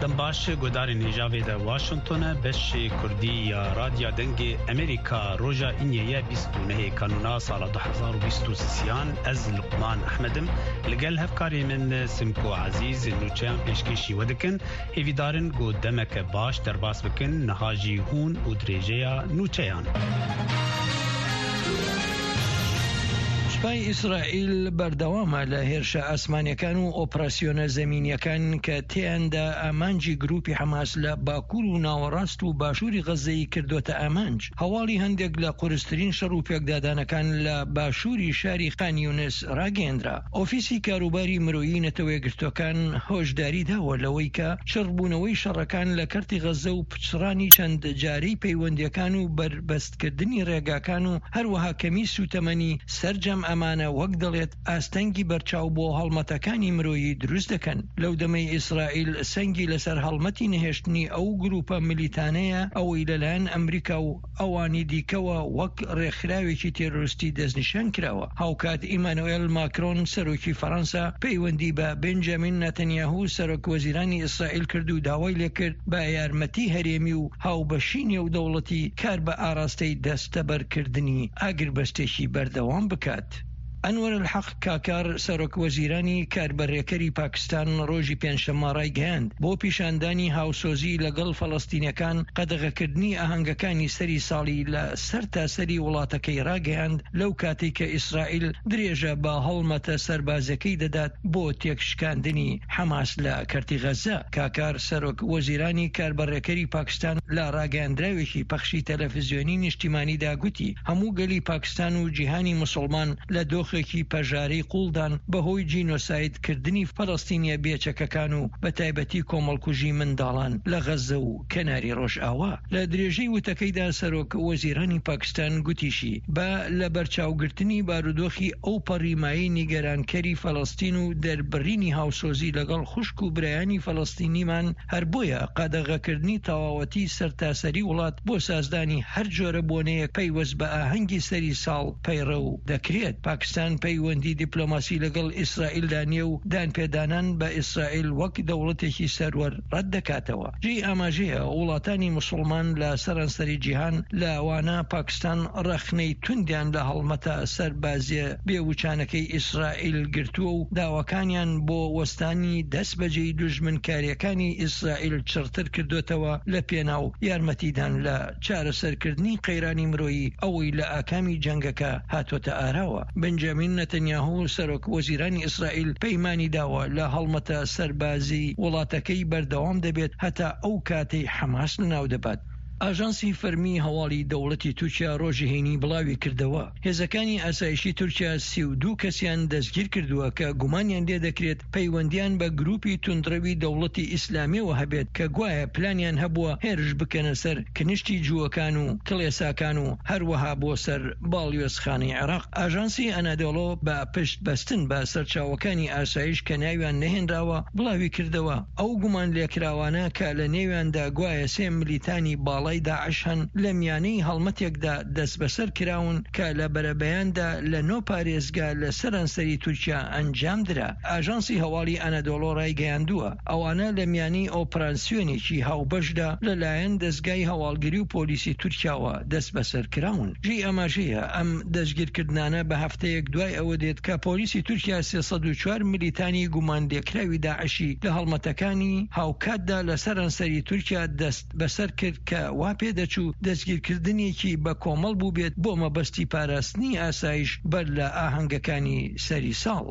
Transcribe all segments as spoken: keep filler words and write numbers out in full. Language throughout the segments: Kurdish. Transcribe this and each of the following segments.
Baş, guhdarên hêja vê de Washington e, beşê Kurdî ya Radya Dengê Amerîka, roja Îniyê ye bîst û nehê Kanûna sala du hezar û bîst û sêyan. Ez Luqman Ehmed im. Li gel hevkarê min Simko Ezîz nûçeyan pêşkêşî we dikin. Hêvîdarin ku demeke baş derbas bikin, niha jî hûn û dirêjeya nûçeyan. سوپای ئیسرائیل بەردەوامە لە هێرشە ئاسمانیەکان و ئۆپراسیۆنە زەمینیەکان کە تێیاندا ئامانجی گروپی حەماس لە باکوور و ناوەڕاست و باشووری غەزەی کردوتە ئامانج. هەواڵی هەندێک لە قورسترین شەڕ و پێکدادانەکان لە باشووری شاری خان یونس ڕاگەیەندرا. ئۆفیسی کاروباری مرۆیی نەتەوە یەکگرتوەکان هۆشداری داوە لەوەی کە چڕبوونەوەی شەڕەکان لە کەرتی غەزە و پچڕانی چەند جارەی پەیوەندیەکان و بەربەستکردنی ڕێگاکان و هەروەها کەمی سوتەمەنی سەرجەم ئەمانە، وەک دەڵێت، ئاستەنگی بەرچاو بۆ هەڵمەتەکانی مرۆیی دروست دەکەن. لەو دەمەی ئیسرائیل سەنگی لەسەر هەڵمەتی نەهێشتنی ئەو گروپە ملیتانەیە، ئەوەی لەلایەن ئەمریکا و ئەوانی دیکەوە وەک ڕێکخراوێکی تێرۆریستی دەستنیشان کراوە. هاوکات ئیمانوئل ماکرۆن، سەرۆکی فەڕەنسا، پەیوەندی بە بنجامین نەتەنیاهو، سەرۆک وەزیرانی ئیسرائیل، کرد و داوای لێکرد بە یارمەتی هەرێمی و هاوبەشی نێودەوڵەتی کار بە ئاراستەی دەستەبەرکردنی ئاگربەستێکی بەردەوام بکات. ئەنوەر الحەق کاکار، سەرۆک وەزیرانی کاربەڕێکەری پاکستان، ڕۆژی پێنجشەممە ڕایگەیاند، بۆ پیشاندانی هاوسۆزی لەگەڵ فەڵەستینیەکان، قەدەغەکردنی ئاهەنگەکانی سەری ساڵی لە سەر تاسەری وڵاتەکەی ڕاگەیاند، لەو کاتێک کە ئیسرائیل درێژە بە هەڵمەتە سەربازەکەی دەدات بۆ تێکشکاندنی حەماس لە کەرتی غەزە. کاکار، سەرۆک وەزیرانی کاربەڕێکەری پاکستان، لە ڕاگەیاندراوێکی پەخشی تەلەفزیۆنی نیشتیمانیدا گوتی، هەموو گەلی پاکستان و جیهانی مسلمان لە دۆخێکی پەژارەی قوڵدان بەهۆی جینۆسایدکردنی فەلەستینیە بێچەکەکان و بە تایبەتی کۆمەڵکوژی منداڵان لە غەزە و کەناری ڕۆژئاوا. لە درێژەی وتەکەیدا سەرۆک وەزیرانی پاکستان گوتیشی، بە لە بەرچاوگرتنی بارودۆخی ئەو پەڕی مایەی نیگەرانکەری فەلەستین و دەربڕینی هاوسۆزی لەگەڵ خوشک و برایانی فەلەستینیمان، هەر بۆیە قەدەغەکردنی تەواوەتی سەرتاسەری وڵات بۆ سازدانی هەر جۆرە بۆنەیەک پەیوەست بە ئاهەنگی سەری ساڵ پەیڕەو دەکرێت. پاکستان پەیوەندی دیپلۆماسی لەگەڵ ئیسرائیلدا نییە و دانپێدانان بە ئیسرائیل وەک دەوڵەتێکی سەروەر ڕەت دەکاتەوە. جێی ئاماژەیە، وڵاتانی موسڵمان لە سەرانسەری جیهان، لەوانە پاکستان، ڕەخنەی توندیان لە هەڵمەتە سەربازیە بێوچانەکەی ئیسرائیل گرتووە و داواکانیان بۆ وەستانی دەست بەجێی دوژمنکاریەکانی ئیسرائیل چڕتر کردوتەوە لە پێناو یارمەتیدان لە چارەسەرکردنی قەیرانی مرۆیی ئەوەی لە ئاکامی جەنگەکە هاتوتە ئاراوە. بنجامین نەتەنیاهو، سەرۆک وەزیرانی ئیسرائیل، پەیمانی داوە لە هەڵمەتە سەربازی وڵاتەکەی بەردەوام دەبێت هەتا ئەو کاتەی حەماس لەناو دەبات. ئاژانسی فەرمی هەواڵی دەوڵەتی تورکیا ڕۆژی هەینی بڵاوی کردەوە، هێزەکانی ئاسایشی تورکیا سی و دوو کەسیان دەستگیر کردووە کە گومانیان لێ دەکرێت پەیوەندیان بە گروپی توندڕەوی دەوڵەتی ئیسلامیەوە هەبێت کە گوایە پلانیان هەبووە هێرش بکەنە سەر کنشتی جووەکان و کڵێساکان و هەروەها بۆ سەر باڵیۆزخانەی عێراق. ئاژانسی ئەنادۆڵۆ بە پشت بەستن بە سەرچاوەکانی ئاسایش کە ناویان نەهێنراوە بڵاوی کردەوە، ئەو گومان لێکراوانە کە لە نێویاندا گوایە سێ ملیتانی باڵای داعش هەن، لە میانەی هەڵمەتێکدا دەست بەسەر کراون کە لە بەرەبەیاندا لە نۆ پارێزگا لە سەرانسەری تورکیا ئەنجام درا. ئاژانسی هەواڵی ئەنادۆڵۆ ڕایگەیاندووە، ئەوانە لە میانەی ئۆپراسیۆنێکی هاوبەشدا لەلایەن دەستگای هەواڵگری و پۆلیسی تورکیاوە دەست بەسەر کراون. جێی ئاماژەیە، ئەم دەستگیرکردنانە بە هەفتەیەک دوای ئەوە دێت کە پۆلیسی تورکیا سێ سەد و چوار ملیتانی گومان لێکراوی داعشی لە هەڵمەتەکانی هاوکاتدا لە سەرانسەری تورکیا دەست بەسەر کرد کە وا پێدەچوو دەستگیرکردنێکی بە کۆمەڵ بووبێت بۆ مەبەستی پاراستنی ئاسایش بەر لە ئاهەنگەکانی سەری ساڵ.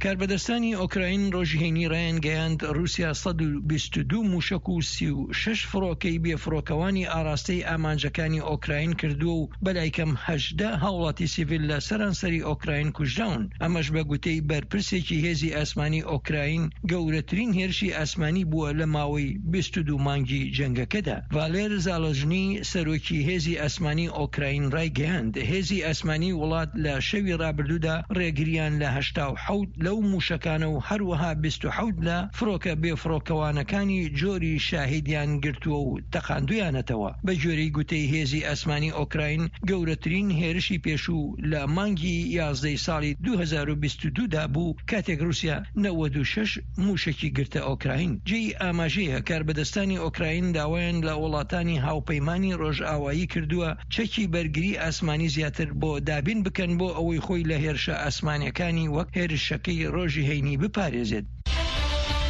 کاربەدەستانی ئۆکراین ڕۆژی هەینی ڕایانگەیاند، رووسیا سەد و بیست و دوو موشک و سی و شەش فڕۆکەی بێفڕۆکەوانی ئاراستەی ئامانجەکانی ئۆکراین کردووە و بەلای کەم هەژدە هاوڵاتی سیڤیل لە سەرانسەری ئۆکراین کوژراون. ئەمەش بە گوتەی بەرپرسێکی هێزی ئاسمانی ئۆکراین گەورەترین هێرشی ئاسمانی بووە لە ماوەی بیست و دوو مانگی جەنگەکەدا. ڤالێر زاڵژنی، سەرۆکی هێزی ئاسمانی ئۆکراین، ڕایگەیاند، هێزی ئاسمانی وڵات لە شەوی ڕابردوودا ڕێگریان لە هەشتا و حەوت لە ئەو موشەکانە و هەروەها بیست و حەوت لە فڕۆکە بێفڕۆکەوانەکانی جۆری شاهیدیان گرتووە و تەقاندویانەتەوە. بە گوێرەی گوتەی هێزی ئاسمانی ئۆکراین، گەورەترین هێرشی پێشوو لە مانگی یازدەی ساڵی دوو هەزار و بیست و دوو دا بوو، کاتێک رووسیا نەوەد و شەش موشەکی گرتە ئۆکراین. جێی ئاماژەیە، کاربەدەستانی ئۆکراین داوایان لە وڵاتانی هاوپەیمانی ڕۆژئاوایی کردووە چەکی بەرگری ئاسمانی زیاتر بۆ دابین بکەن، بۆ ئەوەی خۆی لە هێرشە ئاسمانیەکانی وەک هێرشەکەی ڕۆژی هەینی بپارێزێت.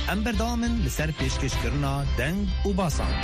ئەم بەردەوامن لەسەر پێشکەشکردنا دەنگ و باسان.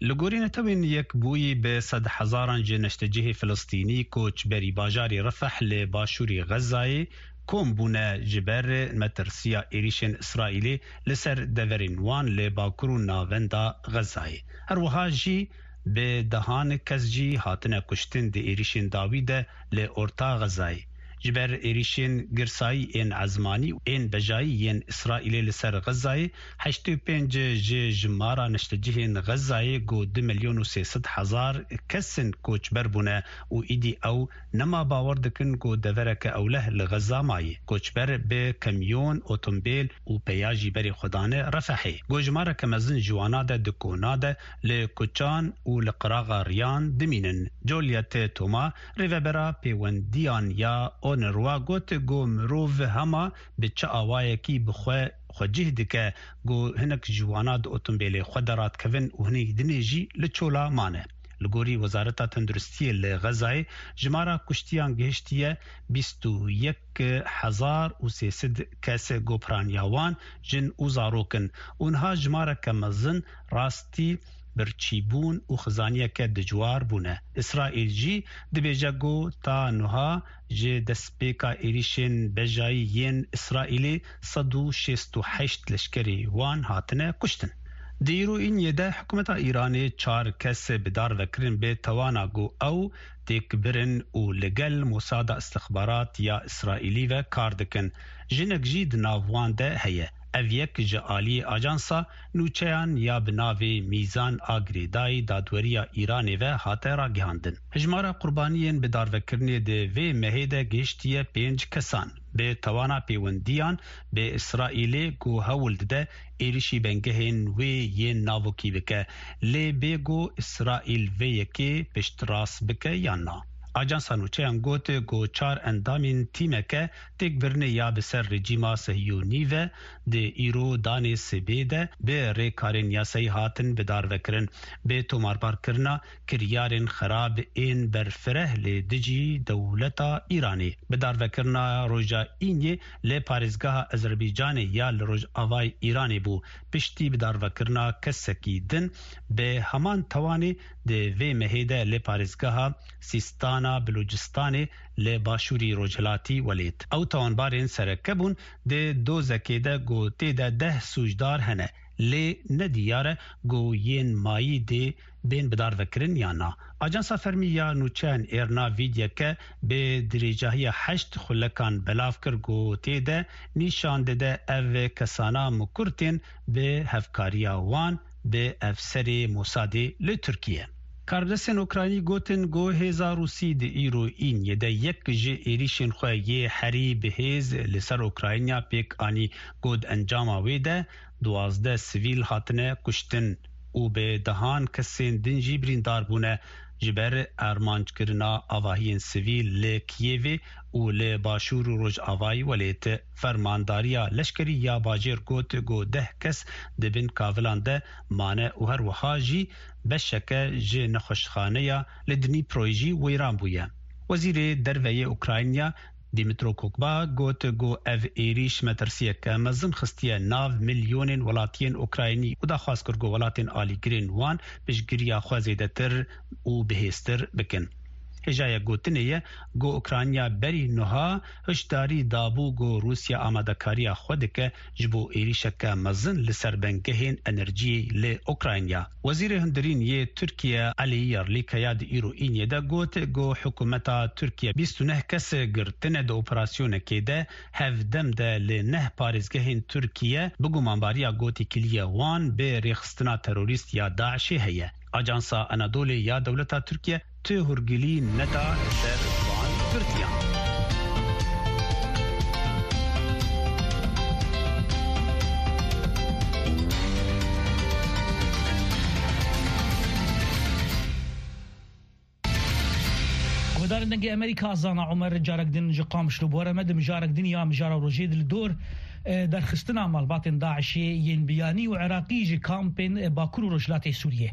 Li gorî Netewên Yekbûyî bi sed hezaran ji neştecihê Filistînî koçberî bajarê Refeh li başûrî Xezayê kom bûne ji ber metirsiya êrîşên Îsraîlê li ser deverên wan li bakur û navenda Xezayê. Her wiha jî bi dehan kes jî hatine kuştin di êrîşên dawî de li orta Xezayê. Ji ber êrîşên girsayî ên ezmanî û ên bejayî yên Îsraîlê li ser Xezayê, heştê û pênc ji jimara neştecihên Xezayê ku du milyon û sê sed hezar kes in koçber bûne û îdî ew nema bawer dikin ku devereke ewleh li Xeza mayî. Koçber bi kamyon, otombêl û peya jî berê xwe dane Refehê. Ku jimareke mezin ji wana de di kona de li kuçan û li qiraxa riyan dimînin. Juliet Thomas, rêvebera pêwendiyan ya UNRWA, got ku mirov hema bi çi awayekî bi xwe xwecih dike ku hinek ji wana di otombêlê xwe de radikevin û hinekî dinê jî li çola mane. Li gorî Wezareta Tenduristiyê li Xezayê, jimara kuştiyan gihiştiye bîst û yek hezar û sê sed kes, ku piraniya wan jin û zarok in û niha jimareke mezin rastî birçîbûn û xizaniyeke dijwar bûne. Îsraîl jî dibêje ku ta niha ji destpêka êrîşên bejayî yên Îsraîlê sed û şêst û heşt leşkerê wan hatine kuştin. Di îro îniyê de hikûmeta Îranê çar kes bi dar ve kirin bi tewana ku ew têkbirin û li gel Mosada Istixbarat ya Îsraîlî ve kar dikin. Jinek jî di nav wan de heye. Ev yek ji aliyê ajansa nûçeyan ya bi navê Mîzan a girêdayî dadweriya Îranê ve hate ragihandin. Jimara qurbaniyên bi darvekirinê di vê mehê de gihiştiye pênc kesan. Bi tewana pêwendiyan bi Îsraîlê ku hewl dide êrişî bengehên wê yên navokî bike, lê bê ku Îsraîl vê yekê piştrast bike yan na. Ajansa nûçeyan got ku çar endamên tîmeke têkbirinê ya bi ser rejîma Sehiyonî ve di îro danê sibê de bi rêkarên yasayî hatin bi dar vekirin. Bi tomarbarkirina kiryarên xerab ên berfireh li dijî dewleta Îranê. Bi darvekirina roja Îniyê li parêzgeha Ezerbaycanê ya li rojavayê Îranê bû. Piştî bi darvekirina kesekî din bi heman tewanê di vê mehê de li parêzgeha Sîstana Bilûcistanê li başûrî rojhilatî welêt. Ew tawanbarên sereke bûn di dozekê de ku tê de deh sûcdar hene. Lê ne diyar e ku yên mayî dê bên bidarvekirin yan na. Ajansa fermî ya nûçeyan IRNA vîdyeke bi dirêjahiya heşt xulekan belav kir ku tê de nîşan dide ev kesana mikur tên bi hevkariya wan bi efserê Mosadê li Tirkiye. Karbidestên Ukraynî gotin ku hêza Rûsî di îro Îniyê de yek ji êrîşên xwe yê herî bi hêz li ser Ukrayna pêk anî, ku di encama wê de duwazdeh sivîl hatine kuştin û bi dehan kesên din jî birîndar bûne. Ji ber armanckirina avahiyên sivîl li Kiyevê û li başûr û rojavayî welêt, fermandariya leşkerî ya bajêr got ku deh kes di bin kavilan de mane û her wiha jî beşeke ji nexweşxaneya li Dnîproyê jî wêran bûye. Wezîrê Derve yê Ukrayna Dmytro Kuleba got ku ev êrîş metirsiyeke mezin xistiye nav milyonên welatiyên Ukraynî û daxwaz kir ku welatên alîgirên wan piştgiriya xwe zêdetir û bihêztir bikin. Hêjayek gotinê ye ku Ukrayna berî niha hişdarî dabû ku Rûsya amadekariya xwe dike ji bo êrîşeke mezin li ser bengehên enerjiyê li Ukrayna. Wezîrê Hundirîn yê Tirkiye Elî Yerlîkaya di îro Îniyê de got ku hikûmeta Tirkiye bîst û neh kes girtine di operasyonekê de hevdem de li neh parêzgehên Tirkiye bi gumanbariya gotîkiliya wan bi rêxistina terorîst ya DAIŞê heye. Ajansa Anadolê ya dewleta Tirkiye Ti hûrgilî neda li ser van girtiyan. Guhdarên Dengê Amerîka, Zana Omer carek din ji Qamişlo bi we re me. Di mijarek din ya mijara rojê di li dor, e, derxistina malbatên DAIŞê yên biyanî û Iraqî ji kampên, e, Bakur û Rojhilatê Sûriyê.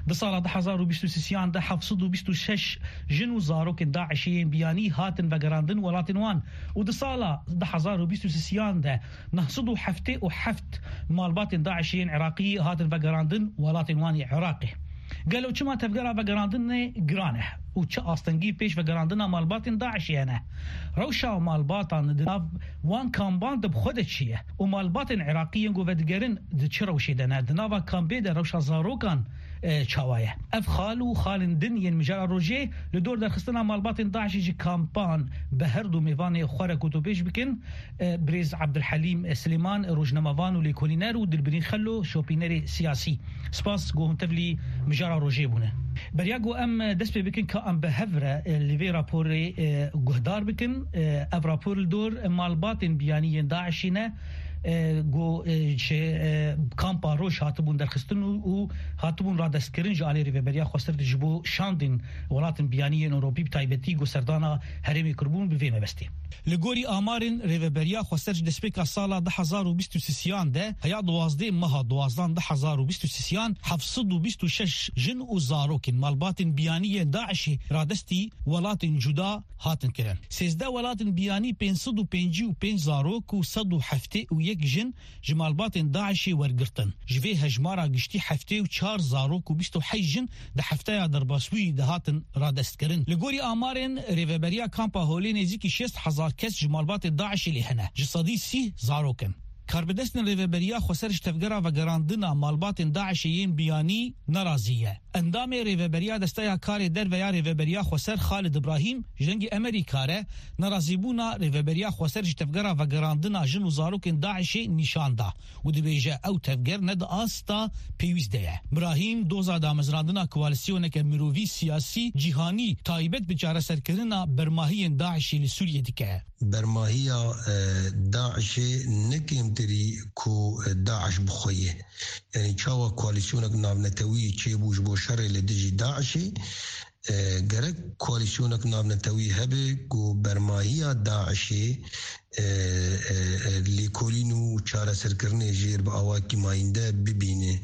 Di sala du hezar û bîst û sisiyan de heft sed û bîst û şeş jin û zarokên DAIŞê yên biyanî hatin vegerandin welatên wan û di sala du hezar û bîst û sisiyan de neh sed û heftê û heft malbatên DAIŞê yên Iraqî hatin vegerandin welatên wan ê Iraqê. Gelo çima tevgera vegerandinê giran e û çi astengî pêş vegerandina malbatên DAIŞê hene? Rewşa malbatan di nav wan kamban de bi xwe de çi ye? Û malbatên Iraqî yên ku vedigerin di çi rewşê de ne? Di nava kampê de rewşa zarokan, e, çawa ye? Ev xal û xalên din yên mijara rojê li dor derxistina malbatên DAIŞê ji kampan bi her du mêvanê xwe re ku tu pêş bikin, e, birêz Abdulhelîm Silêman, rojnamevan û lêkolîner, û Dilbirîn Xelo, şopînerê siyasî. Spas ku hûn tevlî mijara rojê bûne. Beriya ku em dest pê bikin ka em bi hev re, e, li vê raporê, e, guhdar bikin, e, ev rapor li dor malbatên biyanî yên DAIŞê ne, e, ku, e, ji, e, kampa Roj hatibûn derxistin û, û hatibûn radestkirin ji alî Rêveberiya Xweser ji bo şandên welatên biyanî yên Ewropî, bi taybetî ku serdana herêmê kiribûn bi vê mebestê. Li gorî amarên Rêveberiya Xweser ji destpêka sala du hezar û bîst û sisiyan de, heya duwazdeh meha duwazdan du hezar û bîst û sisiyan, heft sed û bîst û şeş jin û zarokên malbatên biyanî yên DAIŞê radestî welatên cuda hatin kirin. Sêzdeh welatên biyanî, pênc sed û pêncî û pênc zarok û sed û heftê û yek jin ji malbatên DAIŞê wergirtin. Ji vê hejmara giştî heftê û çar zarok û bîst û heşt jin di hefteya derbasbûyî de hatin radestkirin. Li gorî amarên Rêveberiya Kampa Holê nêzîkî şêst hezar kes ji malbatê DAIŞê lê hene. Ji sedî sî zarok in. Karbidestên Rêveberiya Xweser ji Tevgera Vegerandina Malbatên DAIŞê yên Biyanî nerazî ye. Endamê Rêveberiya Desteya Karê Derve ya Rêveberiya Xweser Xalid Ibrahîm ji Dengê Amerîka re nerazîbûna Rêveberiya Xweser ji Tevgera Vegerandina Jin û Zarokên DAIŞê nîşan da û dibêje ew tevger ne di asta pêwîst de ye. Brahîm doza damezrandina koalîsyoneke mirovî, siyasî, cîhanî taybet bi çareserkirina bermahiyên DAIŞê li Sûriyê dike. Bermahiya, e, DAIŞê ne kêmtirî ku, e, DAIŞ bi xwe ye. Yanî çawa koalîsyonek navnetewî çêbû ji bo şerê li dijî DAIŞê, e, gerek koalîsyonek navnetewî hebe ku bermahiya DAIŞê, e, e, e, lêkolîn û çareserkirinê jêr bi awakî mayînde bibîne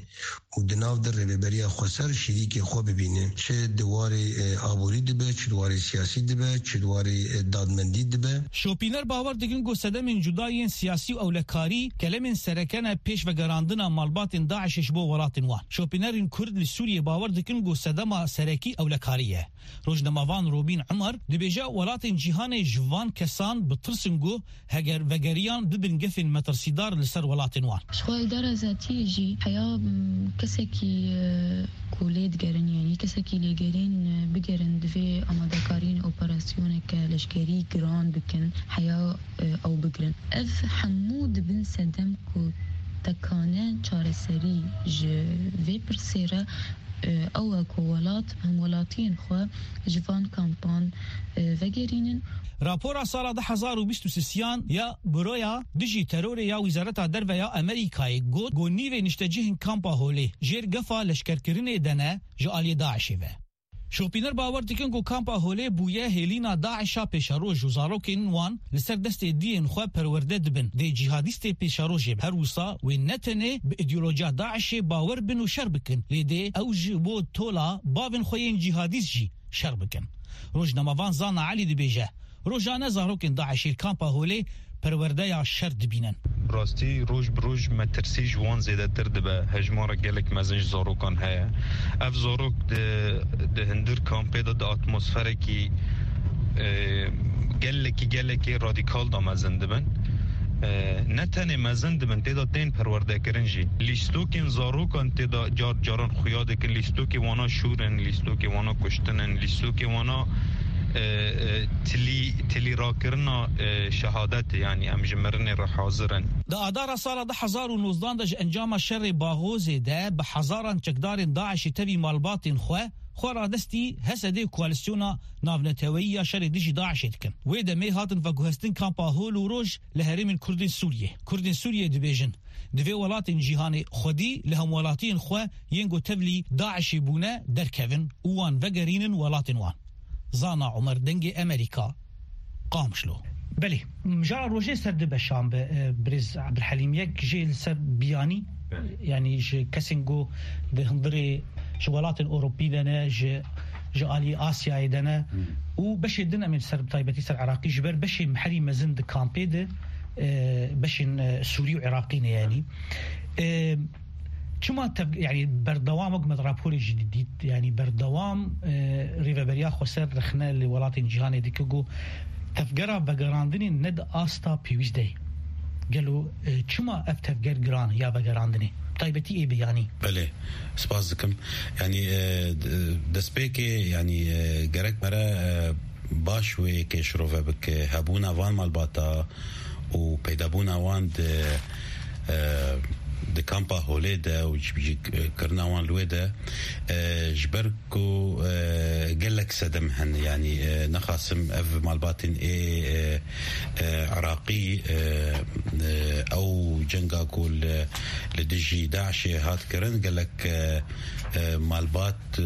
û di nav de Rêveberiya Xweser şirîkê xwe bibîne. Çi di warê, e, aborî dibe, çi di warê siyasî dibe, çi di warê, e, dadmendî dibe. Şopîner bawer dikin ku sedemên cuda yên siyasî û ewlekarî kelemên sereke ne pêş vegerandina malbatên DAIŞê ji bo welatên wan. Şopînerên Kurd li Sûriyê bawer dikin ku sedema serekî ewlekarî ye. Rojnamevan Robîn Umar dibêje welatên cîhanê ji van kesan bi tirs in ku heger vegeriyan bibin gefên metirsîdar li ser welatên wan. Ji xwe îdara zatiyê jî heya, m, kesekî, e, ku lê digerin, yanî kesekî lêgerîn, e, bigerin, divê amadekariyên operasyoneke leşkerî giran bikin, heya, e, ew bigirin. Ev hemû dibin sedem ku tekane çareserî ji vê pirsê re, e, ew e ku welat hemwelatiyên xwe ji van kampan, e, vegerînin. Rapora sala du hezar û bîst û sisiyan ya Buroya Dijî Terorê ya Wîzareta Derve ya Amerîkayê got ku nîvê niştecihên kampa Holê jêr gefa leşkerkirinê de ne ji aliyê DAIŞê ve. Şopîner bawer dikin ku kampa Holê bûye hêlîna DAIŞa pêşeroj û zarokên wan li ser destê diyên xwe perwerde dibin. Dê cîhadîstê pêşerojê be. Her wisa wê ne tenê bi îdeolojiya DAIŞê bawer bin û şer bikin, lê dê ew ji bo tola bavên xwe yên cîhadîst jî şer bikin. Rojnamevan Zana Elî dibêje, rojane zarokên DAIŞê li kampa Holê perwerdeya şer dibînin. Rastî, roj bi roj metirsî ji wan zêdetir dibe. Hejmara gelek mezin ji zarokan heye. Ev zarok di, di hundir kampê de di atmosferekî, e, gelekî, gelekî radîkal de mezin dibin. E, ne tenê mezin dibin, tê de tên perwerdekirin jî. Lîstokên zarokan tê de car caran xuya dikin. Lîstokê wana şûr in, lîstokê wana kuştin in, lîstokê wana e, e, tilî, tilî rakirina, e, şehadetê, yanî em ji mirinê re hazir in. Di adara sala du hezar û nozdan de ji encama şerê Baxozê de bi hezaran çekdarên DAIŞê tevî malbatên xwe, xwe radestî HSDê û koalîsyona navneteweyî ya şerê dijî DAIŞê dikin. Wê demê hatin veguhestin kampa Hol û Roj li herêmên Kurdên Sûriyê. Kurdên Sûriyê dibêjin, divê welatên cîhanê xwedî li hemwelatiyên xwe yên ku tevlî DAIŞê bûne derkevin û wan vegerînin welatên wan. Zana Omer, Dengê Emerîka, Qamişlo. Belê, mijara rojê ser du beşan be, e, birêz Ebdulhelîm. Yek jê li ser biyanî, Belê. yanî ji kesên ku di hundirê ji welatên Ewropî de ne, ji, ji alî Asyayê de ne. Hmm. Û beşê din em ê ser, bi taybetî ser Iraqî, ji ber beşê herî mezin di kampê de, e, beşên, e, Sûrî û Iraqî ne yanî. E, Çima tev-, yanî berdewam, wek me di raporê jî dît, yanî berdewam, e, rêveberiya xweser rexne li welatên cîhanê dike ku tevgera vegerandinê ne di asta pêwîst de ye. Gelo, e, çima ev tevger giran e ya vegerandinê? Taybetî ê biyanî. Belê, spas dikim. Yanî, e, d-, destpêkê, yanî, e, gerek me re, e, baş wê yekê şirove bike. Hebûna van malbata û peydabûna wan di, e, di kampa Holê de û ji, ji kirina wan li wê de, e, ji ber ku, e, gelek sedem hene, yanî, e, nexasim ev malbatên ê, e, e, Iraqî, e, e, ew cenga ku li, li dijî DAIŞê hat kirin, gelek, e, e, malbat, e,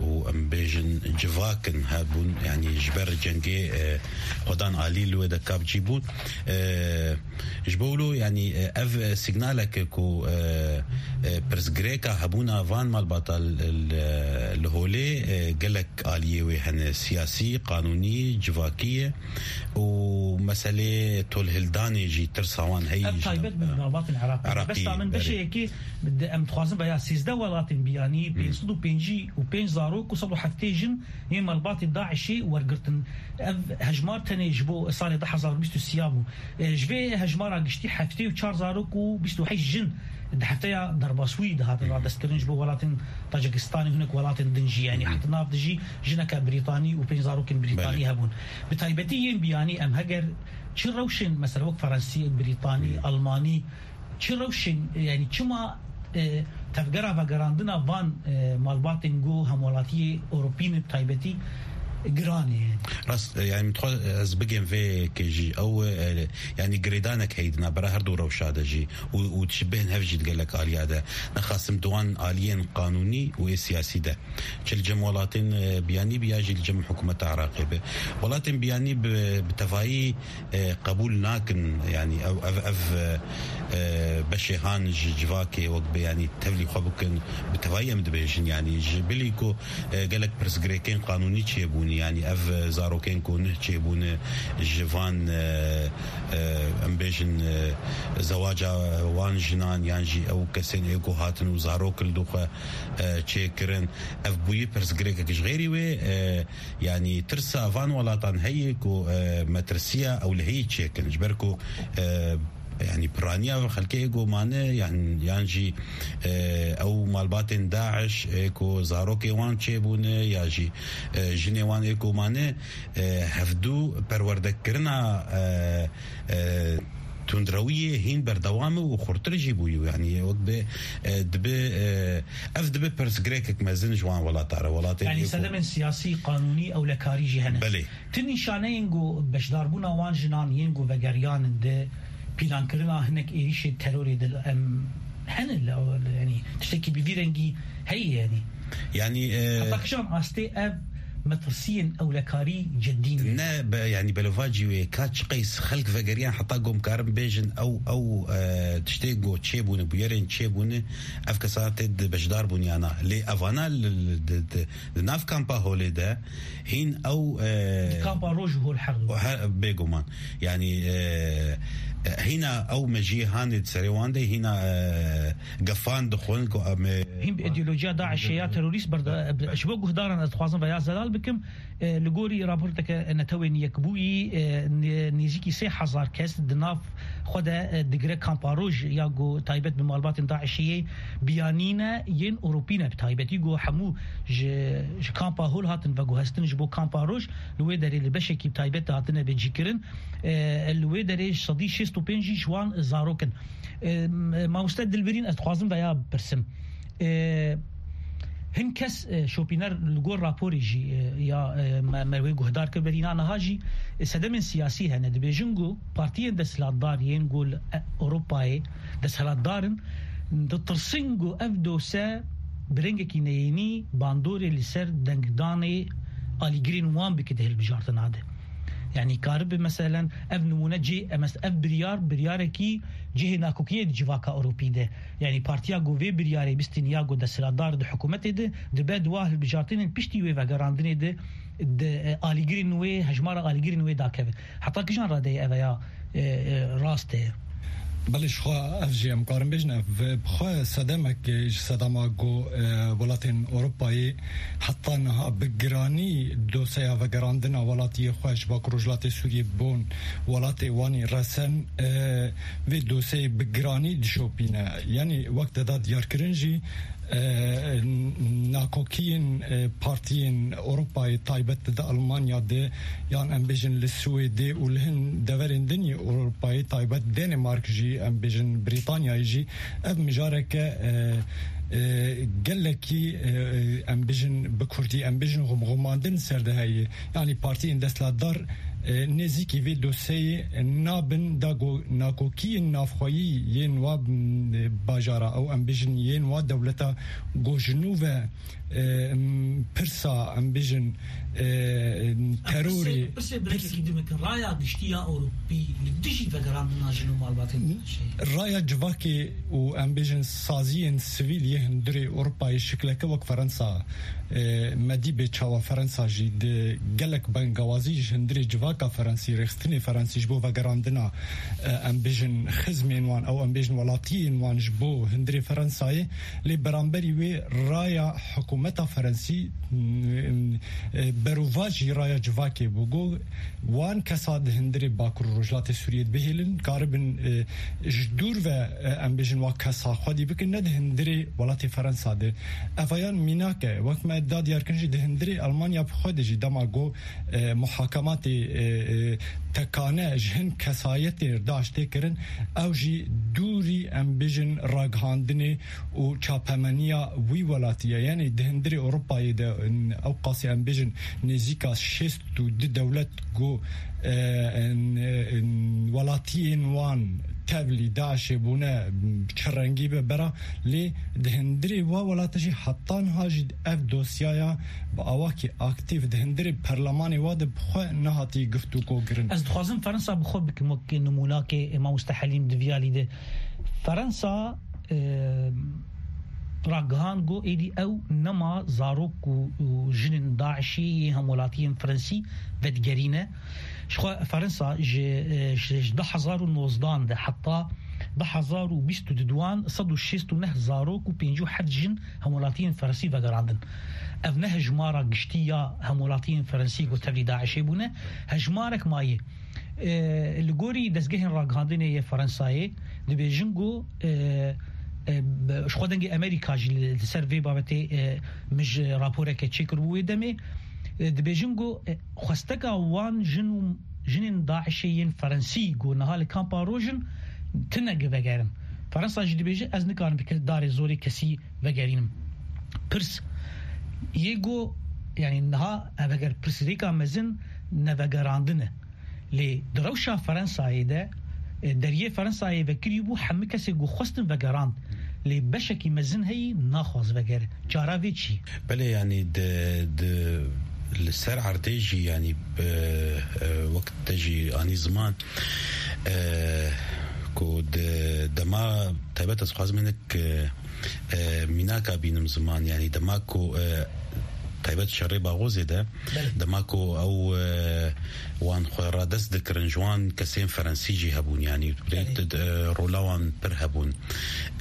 û em bêjin civak in hebûn, yanî ji ber cengê, e, xwedan alî li wê de kapcî bûn. E, ji bo wilo, yanî, e, ev, e, signalek e ku, e, e, pirsgirêka hebûna van malbata li, li, li Holê, e, gelek aliyê wê hene, siyasî, qanûnî, civakî ye. û meselê tolhildanê jî tirsa wan heye. Ev taybet bi malbatên Iraqê. Iraqî, Bes ta min berê. Beşê yekê, em dixwazin veya sêzdeh welatên biyanî, Hmm. pênc sed û pêncî û pênc zarok û sed û heftê jin yên malbatê DAIŞê wergirtin. Ev hejmar tenê ji bo salê du hezar û bîst û sê bû. E, ji vê hejmara giştî heftê û çar zarok û bîst û heşt jin di hefteya derbasbûyî de hatin Hmm. radestkirin ji bo welatên Tacikistanê, hinek welatên din jî, yanî Hmm. heta nav de jî jineke Brîtanî û pênc zarokên Brîtanî Belê. hebûn. Bi taybetî yên biyanî em heger çi rewşên, mesela wek Fransî, Brîtanî, Hmm. Almanî, çi rewşên, yanî çima, e, tevgera vegerandina van, e, malbatên ku hemwelatiyê Ewropî ne bi taybetî giran e, yanî? Rast, e, yanî min dixwest, e, ez bigêm vê yekê jî. Ew, e, yanî girêdanek heye di navbera her du rewşa de jî û, û dişibêhin hev jî di gelek aliya de. Nexasim di wan aliyên qanûnî û ê siyasî de. Çi li cem welatên, e, biyanî be ya jî li cem hikûmeta Iraqê be. Welatên biyanî bi, bi tevayî, e, qebûl nakin, yanî ev, ev, ev, e, e, beşê han ji civakê wek be, yanî tevlî xwe bikin, bi tevayî em dibêjin, yanî ji bilî ku, e, gelek pirsgirêkên qanûnî çêbûne, yanî ev, e, zarokên ku nih çêbûne ji van, e, e, em bêjin, e, zewaca wan jinan yan jî ew kesên ê ku hatin û zarok li dû xwe, e, çêkirin. Ev bûyî pirsgirêkek ji xêrî wê, e, yanî tirsa van welatan heye ku, e, metirsiya ew lehiyî çêkin. Ji ber ku, e, yanî piraniya xelkê ê ku mane yan, yan jî, e, ew malbatên DAIŞ ê ku zarokê wan çêbûne ya jî, e, jinê wan ê ku mane, e, hevdû perwerdekirina, e, e, tundrewiyê hîn berdewam e û xurtir jî bûye. Yanî wek bi, e, dibe, e, ev dibe pirsgirêkek mezin ji wan welata re. Welatên Yanî ê ku sedemên siyasî, qanûnî, ewlekarî jî hene. Belê. Ti nîşaneyên ku beşdarbûna wan jinan yên ku vegeriyan di pîlankirina hinek êrîşên terorê de em hene li, li, yanî tiştekî bi vî rengî heye yanî. Yanî, e, Heta kîjan astê ev metirsiyên ewlekarî cidî ne? Ne, be, yanî belovacî wê ka çi qeys xelk vegeriyan heta ku em karin bêjin ew, ew, e, tiştê ku çêbûne, bûyerên çêbûne, ev kesa tê di beşdar bûn yana. Lê evana li, li, di, di, di nav kampa Holê de hîn ew, e, Di kampa Roj û Hol her du. Her, bêguman. Yanî, e, e, hîna ew mejiyê hanê di serê wan de hîna, e, gefan dixwin ku em, e, Hîn bi îdeolojiya DAIŞê ya terorîst berde-, Belê. ji bo guhdaran ez dixwazim veya zelal bikim. E, li gorî raporteke Netewên Yekbûyî, e, nê-, nêzîkî sê hezar kes di nav xwe de, e, digire kampa roj ya ku taybet bi malbatên DAIŞê yê biyanî ne, yên Ewropî ne bi taybetî ku hemû ji, ji kampa hol hatin veguhestin ji bo kampa roj, li wê derê li beşekî bi taybet de hatine vecîkirin. E, li wê derê sedî şêst û pênc jî ji wan zarok in. E, mamoste Dilbirîn, ez dixwazim veya bipirsim. E, hin kes, e, şopîner li gor raporê jî, e, ya, e, me, me wê guhdar kir berîna niha jî, e, sedemên siyasî hene. Dibêjin ku partiyên desthilatdar yên ku li, e, Ewropayê desthilatdar in, ditirsin ku ev dose bi rengekî neyênî bandorê li ser dengdanê alîgirên wan bike di hilbijartina de. Yanî karibe meselen ev nimûne cihê, em, ev biryar, biryarekî cihê nakokiyê di civaka Ewropî de. Yanî partiya ku vê biryarê bistîniya ku desthilatdar di hikûmetê de dibe di wa hilbijartinên piştî wê vegerandinê de, di, e, alîgirên wê, hejmara alîgirên wê dakeve. Heta kijan radeyê ev ya, e, e, rast e? Belê, ji xwe ev jî em karin bêjin, ev bi xwe sedemek ji sedema ku, e, welatên Ewropayê heta niha bi giranî doseya vegerandina welatiyê xwe ji Bakur Rojhilatê Sûriyê bon welatê wan î resen, e, vê doseyê bi giranî dişopîne. Yanî wek te da diyarkirin jî, e, nakokiyên, e, partiyên Ewropayê taybet di Almanya de, yan em bêjin li Swêdê û li hin deverên din yê Ewropayê taybet Danimark jî, em bêjin Brîtanyayê jî, ev mijareke, e, e, gelekî, e, e, em bêjin bi kurdî, em bêjin xumxumandin ser de heye. Yanî partiyên desthilatdar, e, nêzîkî vê doseyê nabin da go-, nakokiyên navxweyî yên wa, m, bajara ew em bêjin yên wa dewleta ku ji nû ve, e, m, pirsa em bêjin, e, terorê, pirsê, pirsê birekekî din bikin, raya giştî ya Ewropî li dijî vegerandina jin û malbatên DAIŞê. Raya civakê û em bêjin saziyên sivîl yê hundirê Ewropayê şikleke wek Fransa, e, me dî bê çawa Fransa jî di gelek bengawazî ji hundirê civaka Fransî, rêxistinê Fransî ji bo vegerandina, e, em bêjin xizmên wan, ew em bêjin welatiyên wan ji bo hundirê Fransayê, lê beramberî wê raya hikûmeta Fransî, m, e, berovajî raya civakê bû. Got, wan kesa di hundirê Bakur û Rojhilatê Sûriyê dibihêlin, karibin, e, ji dûr ve, e, em bêjin wa kesa xwedî bikin, ne di hundirê welatê Fransa de. Ev yan mînak e, wek me da diyarkirin jî di hundirê Almanya bi xwe de jî dema got, e, muhakematê, e, e, tekane ji hin kesayetê DAIŞ tê kirin, ew jî dûrî em bêjin ragihandinê û çapemeniya wî welatî ye. Yanî di hundirê Ewropayê de, in, ew qasî em bêjin nêzîka şêst û du dewlet ku, e, in, in, welatiyên wan tevlî DAIŞê bûne, çi rengî be bera, lê di hundirê wa welata jî heta niha jî ev dosyaya bi awakî aktîf di hundirê perlemanê wa de bi xwe nehatiye giftûgo kirin. Ez dixwazim Fransa bi xwe bikim wek nimûnakê, e, mamoste Helîm di vî alî de. Fransa, e, ragihand got êdî ew nema zarok û, û jinên DAIŞê yê hemwelatiyên Fransî vedigerîne. Ji xwe Fransa ji, e, ji, ji du hezar û nozdan de heta du hezar û bîst û du wan sed û şêst û neh zarok û pêncî û heft jin hemwelatiyên Fransî vegerandin. Ev ne hejmara giştî ya hemwelatiyên Fransî ku tevlî DAIŞê bûne, hejmarek maye. E, li gorî dezgehên ragihandinê yê Fransayê dibêjin ku, e, e, bi, ji xwe dengê Amerîka jî li, li ser vê babetê, e, min ji raporeke çêkiribû wê demê. E, dibêjin ku, e, xwesteka wan jin û jinên DAIŞê yên Fransî ku niha li kampa roj in, tine gi vegerin. Fransa jî dibêje, ez nikarim bi ke-, darê zorê kesî vegerînim. Pirs yê ku, yanî niha ev eger pirsgirêka mezin nevegerandin e. Lê di rewşa Fransayê de, e, deriyê Fransayê vekirî bû, hemû kesê ku xwestin vegerand. Lê beşekî mezin heyî naxwaz vegere. Çara vê çi? Belê, yanî di, di, li ser erdê jî, yanî, e, e, wek te jî anî ziman, e, ku di dema taybet ez xwazim hinek, e, e, mînaka bînim ziman, yanî dema ku, e, Taybet şerê Baxozê de, dema ku ew, e, wan xwe radest dikirin, ji wan kesên Ferensî jî hebûn, yanî rêk di, e, rola wan pir hebûn.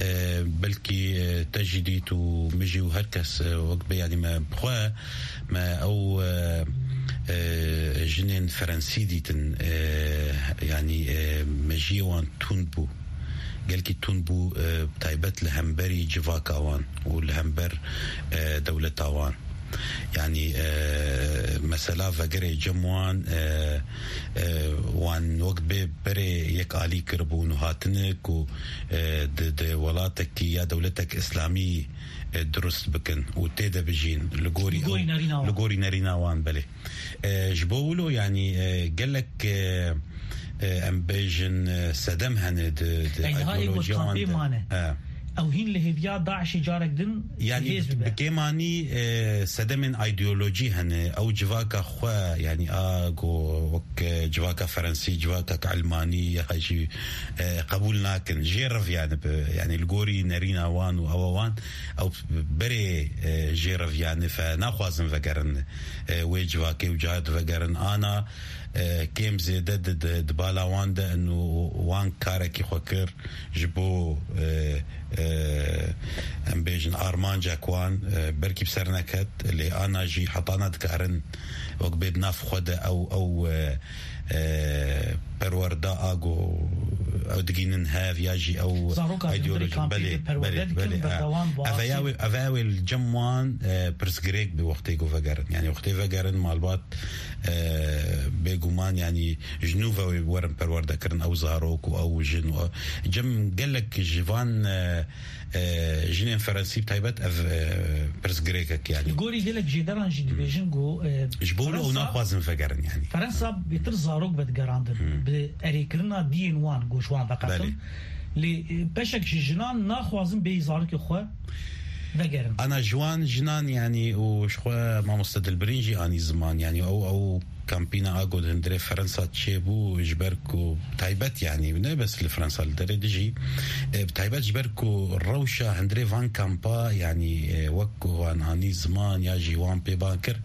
E, belkî, e, te jî dît û min jî û her kes, e, wek bê, yanî me bi xwe, me ew, e, e, jinên Ferensî dîtin, e, yanî, e, mejiyê wan tund bû. Gelkî tund bû, e, taybet li hemberî civaka wan û li hember, e, dewleta wan. Yanî, e, mesela vegerê cem wan, e, e, wan wek bê berê yek alî kiribûn û hatine ku, e, di, di welatekî ya dewletek îslamî, e, dirust bikin û tê de bijîn li gorî Li gorî ew, nerîna wan. Li gorî nerîna wan, belê. E, ji bo wilo, yanî, e, gelek, e, e, em bêjin, e, sedem hene di, di Ey, niha ê ku îdeolojiya wan kampê de. Mane. E. Ew hîn li hêviya DAIŞê carek din Yanî hêz bi, bibe. Bi kêmanî, e, sedemên îdeolojî hene. Ew civaka xwe, yanî a ku wek, e, civaka Ferensî, civaka Elmanî ya jî, e, qebûl nakin. Jê reviyane bi, yanî li gorî nerîna wan û ewa wan, ew berê, e, jê reviyane fe naxwazin vegerin, e, wê civakê û cihê divegerin. Ana, e, kêm zêde di, di, di bala wan de in û wan karekî xwe kir ji bo, e, e, em bêjin armancek wan, e, belkî bi ser neket, lê ana jî hetana dikarin wek bê di nav xwe de ew, ew, e, e, perwerda a ku ew digînin hev ya jî ew Zaroka di hundirê îdeolojik, kampê belê, de perwerde belê, dikin, belê, ha. Berdewam bi Ev astê. Ev ew li cem wan, e, pirsgirêk bi wextê ku vegerin. Yanî wextê vegerin malbat, e, bêguman, yanî ji nû ve werin perwerdekirin ew zarok û ew jin û ew. Cem gelek ji van, e, e, jinên Ferensî bi taybet ev, e, pirsgirêkek, yanî. Li gorî gelek jêderan jî dibêjin ku, e, Ji bo wilo ew Fransa naxwazin vegerin, yanî. Fransa bêtir zarok vedigerandin. Hmm. Bi erêkirina diyên wan, ku ji wan veqetin. Belê. Lê, e, beşek ji jinan naxwazin bêyî zarokê xwe vegerin. Ana ji wan jinan, yanî, û ji xwe mamoste Dilbirîn jî anî ziman, yanî ew, ew kampîna a ku di hundirê Fransa çêbû, ji ber ku taybet, yanî ne bes li Fransa, li derê dijî, e, bi taybet ji ber ku rewşa hundirê van kampa, yanî, e, wek ku wan anî ziman ya jî wan pê ban kir,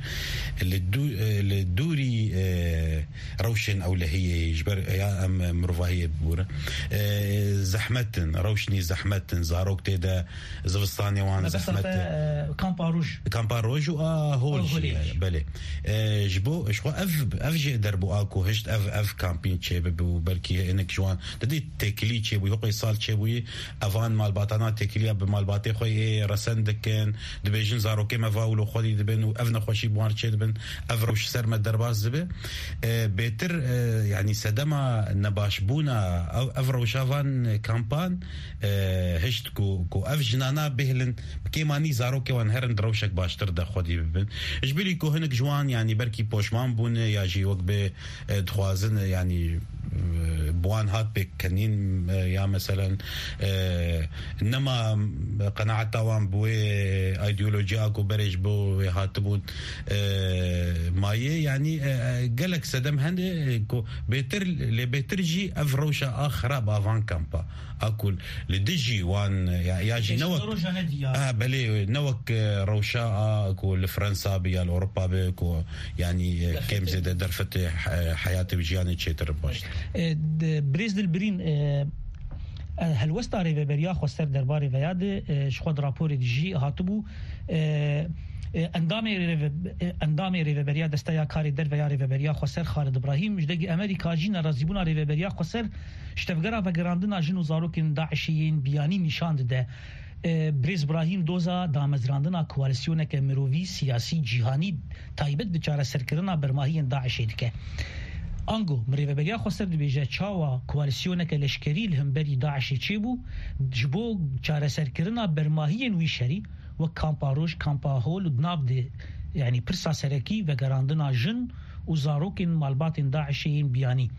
li dû-, e, li dûrî, e, rewşên ewlehiyê, ji ber ya em mirovahiyê bibûrin, e, zehmet in, rewşnî zehmet in, zarok tê de zivistanê wan Mebesta zehmet te, e. E, kampa roj. Kampa roj û a hol Hol jî holê ye, jî. Belê. E, ji bo, ji xwe ev, ev jê derbû a ku hişt ev, ev kampîn çêbibe û belkî hinek ji wan didî têkilî çêbûyî, hiqê sal çêbûyî, evan malbatana têkiliya bi malbatê xwe yê resen dikin, dibêjin zarokê me va wilo xwedî dibin û ev nexweşî bi wan çêdibin, ev rewş ser me derbas dibe. E, bêtir, e, yanî sedema nebaşbûna ev, ev rewşa van kampan, e, hişt ku, ku ev jinana bêhlin, bi kêmanî zarokê wan herin di rewşek baştir de xwedî bibin. Ji bilî ku hinek ji wan, yanî belkî poşman bûne ya jî wek bê, e, dixwazin, e, yanî, e, bi wan hat pêk kenîn, e, ya meselen, e, nema qenaeta wan bi wê îdeolojiya ku berê ji bo wê hatibûn, e, mayê, yanî, e, e, gelek sedem hene, e, ku bêtir, lê bêtir jî ev rewşa a xirab a van kampa. A ku li dijî wan, ya, ya jî ne wek, Pêşiya roja nedî ya. Ha, belê, ne wek, e, rewşa a ku li Fransa be ya li Ewropa be ku, yanî, e, Derfetê. Kêm zêde derfetê, e, heyatê û jiyanê çêtir baş. E, di, Birêz Dilbirîn, e, e, helwesta Rêveberiya Xweser derbarê veya de, e, ji xwe di raporê de jî hatibû, e, e, endamê rêve-, e, endamê Rêveberiya Desteya Karê Derve ya Rêveberiya Xweser Xalid Îbrahîm ji dengê Amerîka jî nerazîbûna Rêveberiya Xweser Ji tevgera vegerandina jin û zarokên DAIŞê yên biyanî nîşan dide. E, Birêz Brahîm doza damezrandina koalîsyoneke mirovî, siyasî, cîhanî taybet bi çareserkirina bermahiyên DAIŞê dike. Ango, mirêveberiya xweser dibêje, çawa koalîsyoneke leşkerî li hemberî DAIŞê çêbû, ji bo çareserkirina bermahiyên wî şerî, wek Kampa Roj, Kampa Hol û di nav de, yanî pirsa serekî vegerandina jin û zarokên malbatên DAIŞê yên biyanî.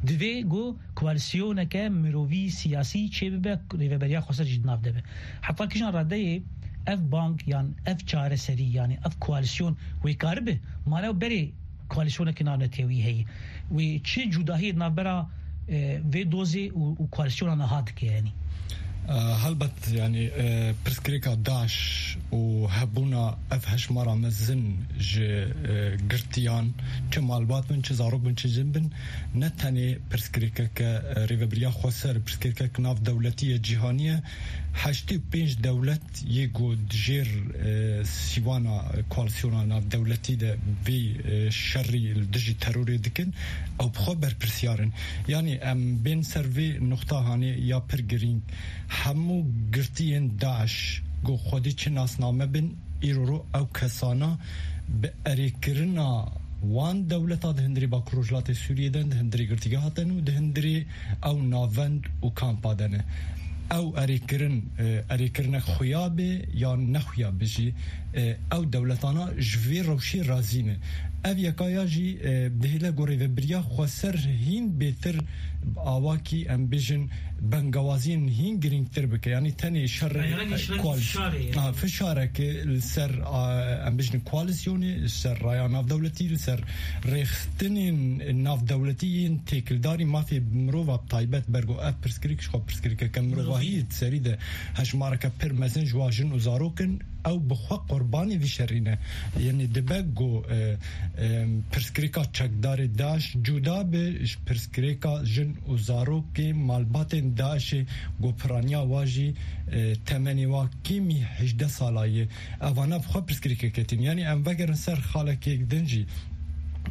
Divê ku koalîsyoneke mirovî siyasî çêbibe, Rêveberiya Xweser jî di nav de be. Heta kîjan radeyê ev bang yan ev çareserî, yanî ev koalîsyon wê karibe, mane berê koalîsyoneke navnetewî heye. Wê çi cudahiyê di navbera, e, vê dozê û, û koalîsyona niha dike, yanî? Helbet, yanî, e, pirsgirêka DAIŞ û hebûna ev hejmara mezin ji, e, girtiyan, çi malbat bin, çi zarok bin, çi jin bin, ne tenê pirsgirêkeke, e, rêvebiriya xweser, pirsgirêkek navdewletî ye, cîhanî ye. Heştê û pênc dewlet yê ku di jêr, e, sîwana koalîsyona navdewletî de vê, e, şerî li dijî terorê dikin, ew bi xwe berpirsiyar in. Yanî em bên ser vê nuqta hanê ya pir girîng. Hemû girtiyên DAIŞ ku xwedî çi nasname bin, îro ro ew kesana bi erêkirina wan dewleta di hundirê Bakur Rojhilatê Sûriyê de, di hundirê girtîgeha de ne û di hundirê ew navend û kampa de ne. Ew erêkirin, e, erêkirinek xuya be yan nexuya be jî, e, ew dewletana ji vê rewşê razî ne. Ev yeka ya jî, e, dihêle ku rêvebiriya xweser hîn bêtir, awakî, em bêjin, bengawaziyên hîn girîngtir bike. Yanî tenê şer, Rayane e, şer koal-, fişarê ye. Ha, fişareke li ser, a, em bêjin koalîsyonê, li ser raya navdewletî, li ser rêxistinên navdewletî yên têkildarî mafê mirova bi taybet ber ku ev pirsgirêk ji xwe pirsgirêkeke mirovahî Mirovî. Di serî de hejmareke pir mezin ji wa jin û zarok in. Ew bi xwe qurbanê vî şerî ne. Yanî dibe ku, e, e, pirsgirêka çekdarê DAIŞ cuda be ji pirsgirêka jin û zarokê malbatên DAIŞê ku piraniya wa jî, e, temenê wa kêmî hejdeh sala ye. Evana bi xwe pirsgirêkek ketin. Yanî em vegerin ser xalekê din jî.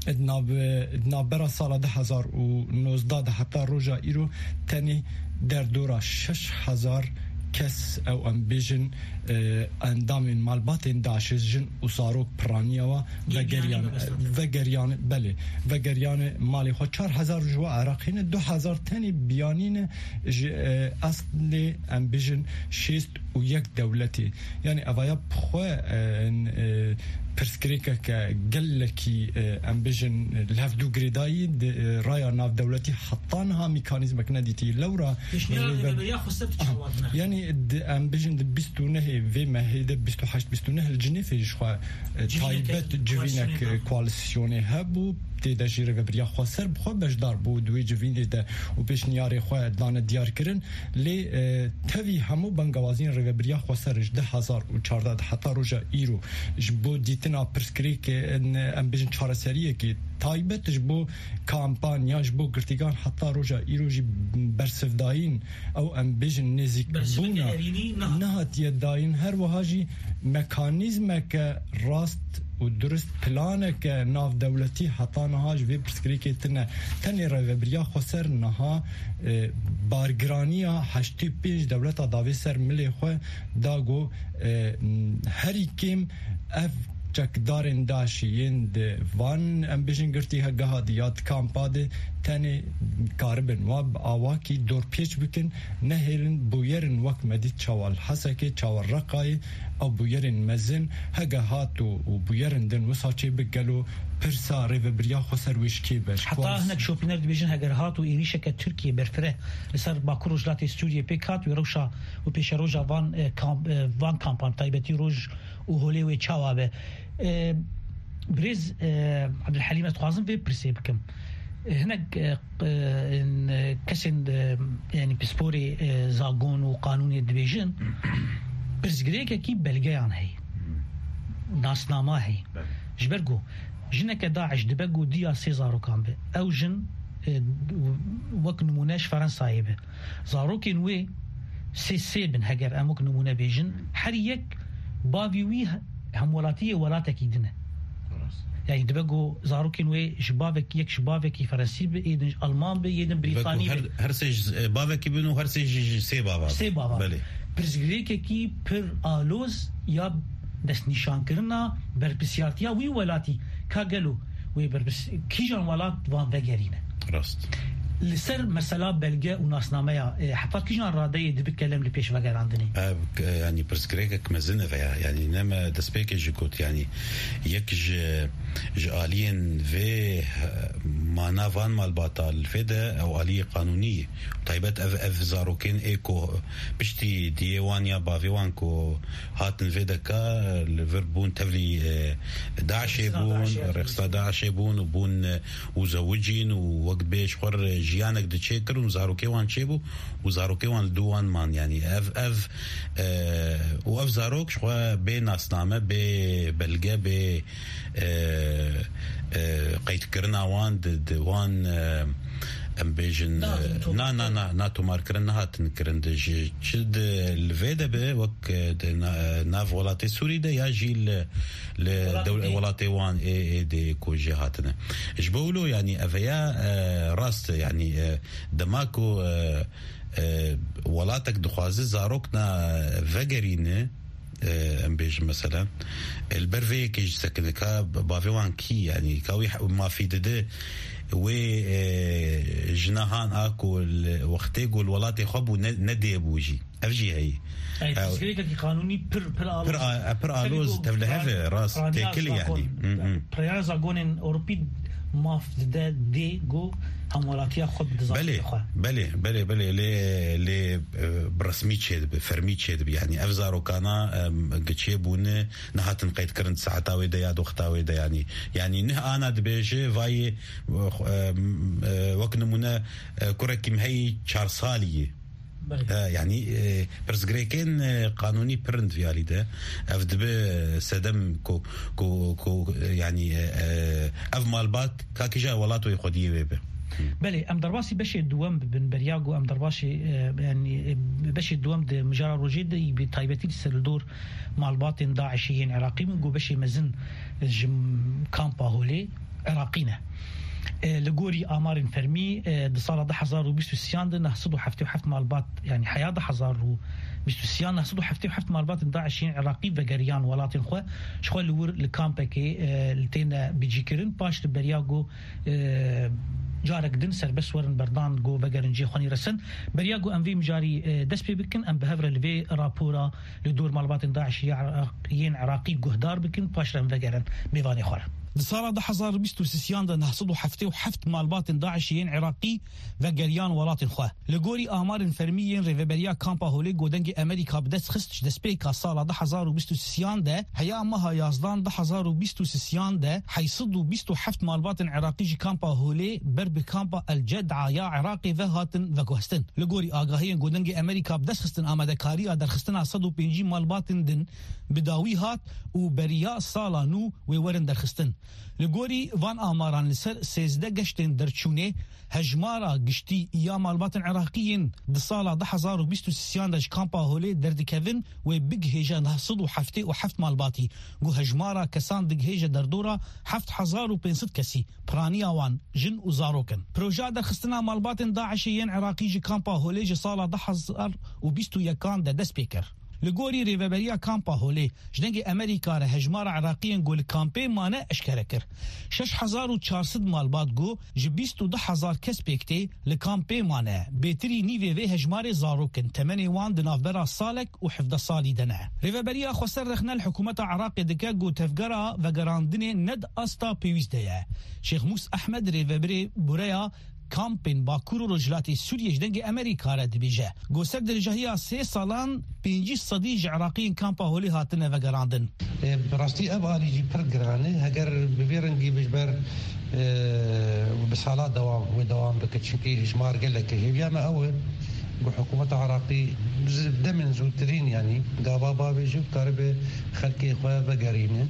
Di nav-, di navbera sala du hezar û nozdeh de heta roja îro tenê derdora şeş hezar kes, ew em bêjin, e, endamên malbatên DAIŞê, jin û zarok piraniya wa Yê vegeriyane, biyanî mebestan. Vegeriyane, belê, vegeriyane malê xwe. Çar hezar ji we Iraqî ne, du hezar tenê biyanî ne ji, e, eslê, em bêjin, şêst û yek dewletê. Yanî evaya bi xwe, e, e, pirsgirêkeke gelekî, e, em bêjin, li hevdû girêdayî di, e, raya navdewletî heta niha mekanîzmek nedîtî. Lewra Pêşniyara rêve-, rêveberiya xweser tu çawa dine? Yanî di, em bêjin di bîst û nehê vê mehê de, bîst û heşt bîst û neh li Cinêfê ji xwe, e, Civîneke taybet civînek, koalîsyonê e, hebû. Koalîsyonê hebû, tê de jî rêveberiya xweser bi xwe beşdar bû di wê civînê de û pêşniyarê xwe dane diyar kirin. Lê, e, tevî hemû bengawaziyên rêvebiriya xweser ji du hezar û çardeh de heta roja îro ji bo dîtina pirsgirêkê, e, em bêjin çareseriyekê taybet ji bo kampanya, ji bo girtîgan heta roja îro jî bersivdayîn, ew em bêjin nêzîkbûna Bersiveke erînî niha. Nehatiye dayîn. Her wiha jî mekanîzmeke rast û durist, planeke navdewletî heta niha ji vê pirsgirêkê tune. Tenê rêvebiriya xweser niha, e, bargiraniya heştê û pênc dewleta dawê ser milê xwe da ku, e, herî kêm ev çekdarên DAIŞê yên di van, em bêjin, girtîgeha de ya di kampa de tenê karibin wa bi awakî dorpêç bikin, nehêlin bûyerên wek me dît çawa li Hesekê, çawa Reqayê, ew bûyerên mezin hege hat û, û bûyerên din wisa çêbik, gelo pirsa rêvebiriya xweser wê ji kê be? Ji Heta kuwan hinek şopîner dibêjin, heger hat û êrîşeke Tirkiyê berfireh li ser Bakur Rojhilatê Sûriyê pêk hat, wê rewşa û pêşeroja van, e, kamp, e, van kampan, taybetî roj û holê wê çawa be? E, birêz, e, Abdulhelîm, ez dixwazim vê pirsê bikim. E, hinek, e, e, in, e, kesên, e, yanî pisporê, e, zagon û qanûnê dibêjin, pirsgirêkekî belgeyan heye, nasnama heye. Belê. Ji ber ku jineke DAIŞ dibe ku diya sê zarokan be, ew jin, e, wek nimûne ji Ferensayê be. Zarokên wê sê sê bin, heger em wek nimûne bêjin, her yek bavî wî he-, hemwelatiyê welatekî din e. Rast. Yani dibe ku zarokên wê ji bavek, yek ji bavekî Ferensî be, yê din ji Alman be, yê din Dibe ku Brîtanî her, be. Her sê ji, e, bavekî bin û her sê ji, ji sê bava bin. Sê bava. Belê. Pirsgirêkekî pir aloz ya destnîşankirina berpirsiyartiya wî welatî, ka gelo wê berpirs-, kîjan welat van vegerîne? Rast. Li ser mesela belge û nasnameya, e, heta kîjan radeyê dibe kelem li pêş vegerandinê? Ev, e, yanî pirsgirêkek mezin e veya, yanî ne me destpêkê jî got, yanî yek ji, ji aliyên vê, e, mana van malbata li vê de ew aliyê qanûnî ye. Taybet ev, ev zarokên ê ku piştî diyê wan ya bavê wan ku hatin vê deka, li vir bûn tevlî, e, DAIŞê bûn, rêxistina DAIŞê bûn û bûn, e, û zewicîn û wek bê ji xwe re jiyanek diçêkir û zarokê wan çêbû û zarokê wan li dû wan man. Yanî ev, ev, e, û ev zarok ji xwe bê nasname, bê belge, bê, e, e, qeydkirina wan di, di wan, e, em bêjin, e, na, na, na, na tomarkirin nehatin kirin. Di ji çi di li vê de be, wek, e, di na-, nav welatê Sûrî de ya jî li, li welatê wan ê, ê dê ku jê hatine. Ji bo wilo, yanî, ev ya, e, rast e, yanî, e, dema ku, e, e, welatek dixwaze zarok na vegerîne, e, em bêjin, meselen, e, li ber vê yekê jî sekine, ka bavê wan kî, yanî, ka wî he-, mafî dide wê, e, jina han a ku li wextê ku li welatê xwe bû, ne, nedê bû jî. Ev jî heyî. Ey, pirsgirêkekî qanûnî pir, pir aloz. Pir a-, pir aloz, tevlihev e, rast, têkil e, yanî. Hı, hı. Piraniya zagonên Ewropî maf dide dê ku hemwelatiya xwe bide zarokê xwe. Belê, belê, belê, belê, lê, lê, e, bi resmî çêdibe, fermî çêdibe. Yanî ev zarokana, em, giçê bûne, nehatin qeydkirin di saeta wê de ya di wexta wê de, yanî. Yanî nih ana dibêje, vayê, e, xwe, em, e, wek nimûne, e, kurekî min heyî çar salî ye. Belê. E, yanî, e, pirsgirêkên, e, qanûnî pir in di vî alî de. Ev dibe sedem ku, ku, ku, e, yanî, e, e, ev malbat ka kîja welat wê xwediyê wê be. Belê, em derbasî beşê duwem bibin, beriya ku em derbasî, e, yanî, e, beşê duwem di mijara rojê de, bi taybetî li ser li dor malbatên DAIŞê yên Iraqî bin, ku beşê mezin ji kampa Holê Iraqî ne. E, li gorî amarên fermî, e, di sala du hezar û bîst û sêyan de neh sed û heftê û heft malbat, yanî heya du hezar û bîst û sêyan, neh sed û heftê û heft malbatên DAIŞ yên Iraqî vegeriyan welatên xwe, ji xwe li wir li kampekê, e, li têne bicîkirin, paş li beriya ku, e, carek din serbest werin berdan ku vegerin cihê xwe nîresin. Beriya ku em vê mijarî, e, dest pê bikin, em bi hev re li vê rapora li dor malbatên DAIŞ ya Iraq-, yên Iraqî guhdar bikin, paş re em vegerin mêvanê xwe re. Di sala du hezar û bîst û sêyan de neh sed û heftê û heft malbatên DAIŞ yên Iraqî vegeriyan welatên xwe. Li gorî amarên fermî yên Rêveberiya Kampa Holê ku Dengê Amerîka bi dest xist, ji destpêka sala du hezar û bîst û sêyan de heya meha yazdan du hezar û bîst û sêyan de heyt sed û bîst û heft malbatên Iraqî ji Kampa Holê ber bi Kampa El Ced'a ya Iraqê ve hatin veguhestin. Li gorî agahiyên ku Dengê Amerîka bi dest xistin, amadekariya derxistina sed û pêncî malbatên din bi dawî hat û beriya sala nû wê werin derxistin. Li gorî van amaran, li ser sêzdeh geştên derçûnê hejmara giştî ya malbatên Iraqî yên di sala du hezar û bîst û sêyan de ji Kampa Holê derdikevin wê bigihêje neh sed û heftê û heft malbatî, ku hejmara kesan digihêje derdora heft hezar û pênc sed kesî, piraniya wan jin û zarok in. Projeya derxistina malbatên DAIŞê yên Iraqî ji Kampa Holê ji sala du hezar û bîst û yekan de dest pê kir. Li gorî Rêveberiya Kampa Holê, ji Dengê Amerîka re hejmara Iraqiyên ku li kampê mane eşkere kir. Şeş hezar û çar sed malbat ku ji bîst û du hezar kes pêk tê, li kampê mane. Bêtirî nîvê vê hejmarê zarok in, temenê wan di navbera salek û hevdeh salî de ne. Rêveberiya xweser rexne li hikûmeta Iraqê dike ku tevgera vegerandinê ne di asta pêwîst de ye. Şêx Mûs Ehmed, rêvebirê Bureya Kampên Bakur û Rojhilatê Sûriyê ji Dengê Amerîka re dibêje, ku ser dirijahiya sê salan pêncî sedî ji Iraqiyên Kampa Holê hatine vegerandin. E, bi rastî ev alî jî pir giran e. Heger bi vê rengî bi ji ber, e, bi sala dewam, wê dewam bike. Çimkî hejmar gelek e. Hêviya me ew e, ku hikûmeta Iraqî ji demên zûtirîn, yanî gava bavêje û karibe xelkê xwe vegerîne.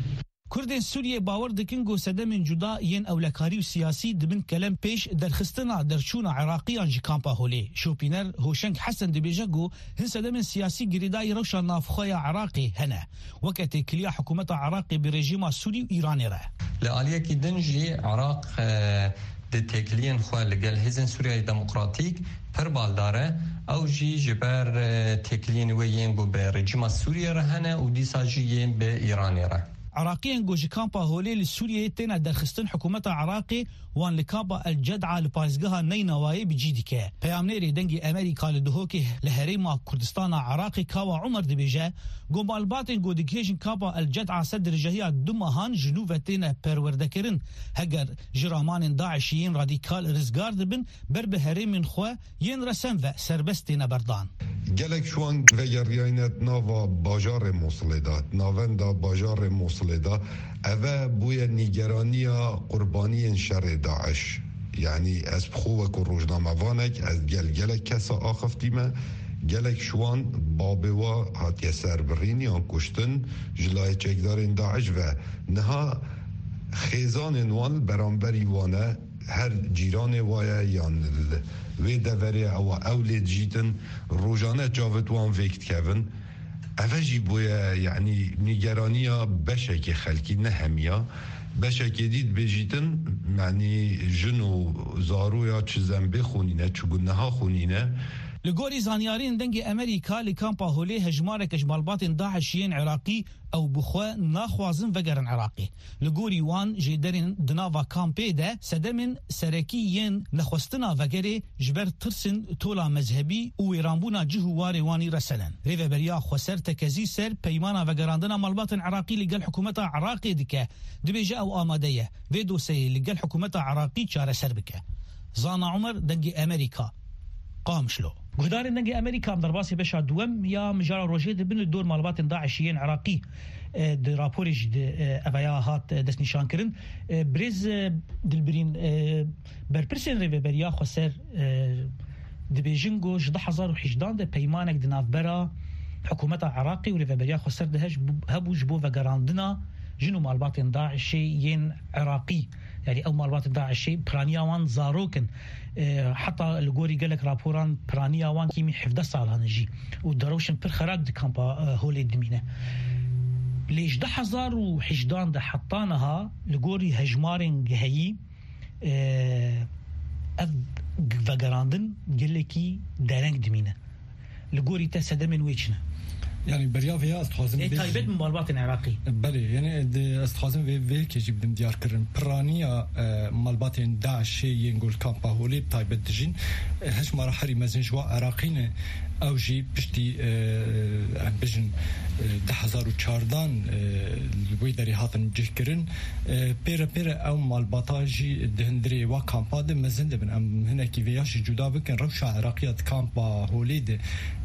Kurdên Sûriyê bawer dikin ku sedemên cuda yên ewlekarî û siyasî di bin kelem pêş derxistina derçûna Iraqiyan ji Kampa Holê. Şopîner Hoşeng Hesen dibêje ku hin sedemên siyasî girêdayî rewşa navxwe ya Iraqê hene, weke têkiliya hikûmeta Iraqê bi rejîma Sûrî û Îranê re. Li aliyekî din jî Iraq, e, di têkiliyên xwe li gel Hêzên Sûriyeyê Demokratîk pir baldar e. Ew jî ji ber, e, têkiliyên wê yên ku bi rejîma Sûriyê re hene û dîsa jî yên bi Îranê re. Iraqiyên ku ji kampa Holê li Sûriyeyê têne derxistin, hikûmeta Iraqê wan li kampa El Ced'a li parêzgeha Neynawayê bi cî dike. Peyamnêrê Dengê Amerîka li Duhokê li Herêma Kurdistana Iraqê Kawa Umer dibêje, ku malbatên ku digihêjin kampa El Ced'a ser dirijahiya du mehan ji nû ve têne perwerdekirin. Heger ji ramanên DAIŞ'î yên radîkal rizgar dibin, ber bi herêmên xwe yên resen ve serbest têne berdan. Gelek ji wan vegeriyayne di nava bajarê Mosilê de, di navenda bajarê Mosilê de. Eve bûye nîgeraniya qurbaniyên şerê DAIŞ. Yanî ez bi xwe wekû rojnamevanek, ez gel gelek kesa axiftîme, gelek ji wan babê wa hatiye serbirîn yan kuştin ji layê çekdarên DAIŞ ve. Niha xêzanên wan li beramberî wan e, her cîranê wa ye yan li wê deverê ew, ew lê dijîtin, rojane çavêt wan vêk dikevin. Eve jî bûye, yanî nîgeraniya beşekê xelkî, ne hemiya. Beşekê dî dibêjîtin, yanî jin û zaroya çi zembê xwe nîne, çi guneha xwe nîne. Li gorî zanyariyên Dengê Amerîka, li kampa Holê hejmareke ji malbatên DAIŞ yên Iraqî ew bi xwe naxwazin vegerin Iraqê. Li gorî wan, jêderên di nava kampê de sedemên serekî yên nexwestina vegerê ji ber tirsên tola mezhebî û wêranbûna cih û warê wan î resenin. Rêveberiya Xweser tekezî ser peymana vegerandina malbatên Iraqî li gel hikûmeta Iraqê dike, dibêje ew amade ye vê dosyeyê li gel hikûmeta Iraqî çareser bike. Zana Umer, Dengê Amerîka, Qamişlo. Guhdarên Dengê Amerîka, em derbasî beşa duwem ya mijara rojê dibin li dor malbatên DAIŞ yên Iraqî, e, di raporê jî di, e, eveya hat, e, destnîşankirin. E, birêz, e, Dilbirîn, e, berpirsên Rêveberiya Xweser, e, dibêjin ku ji du hezar û hejdehan de peymanek di navbera hikûmeta Iraqê û Rêveberiya Xweser de heş-, hebû ji bo vegerandina jin û malbatên DAIŞê yên Iraqî. Yanî ew malbatên DAIŞê piraniya wan zarok in. E, heta li gorî gelek raporan piraniya wan kîmî hevdeh salan in jî û derewşên pir xerab di kampa, e, Holê dimîne. Lê ji du hezar û hejdehan de heta niha li gorî hejmarên heyî, e, ev vegerandin gelekî dereng dimîne. Li gorî te sedemên wê çi ne? Yanî beriya vê ya ez dixwazim Ê bêjim. Taybet min malbatên Iraqî. Belê, yanî di, ez dixwazim vê, vê yekê jî bidim diyarkirin. Piraniya, e, malbatên DAIŞê yên ku li kampa Holê bi taybet dijîn, e, hejmara herî mezin ji wa Iraqî ne. Ew jî piştî, e, em bêjin, e, du hezar û çardan, e, li wê derê hatin cihkirin. E, pêre pêre ew malbata jî di hundirê wa kampa de mezin dibin. Em hinekî vê ya jî cuda bikin. Rewşa Iraqiya di kampa Holê de,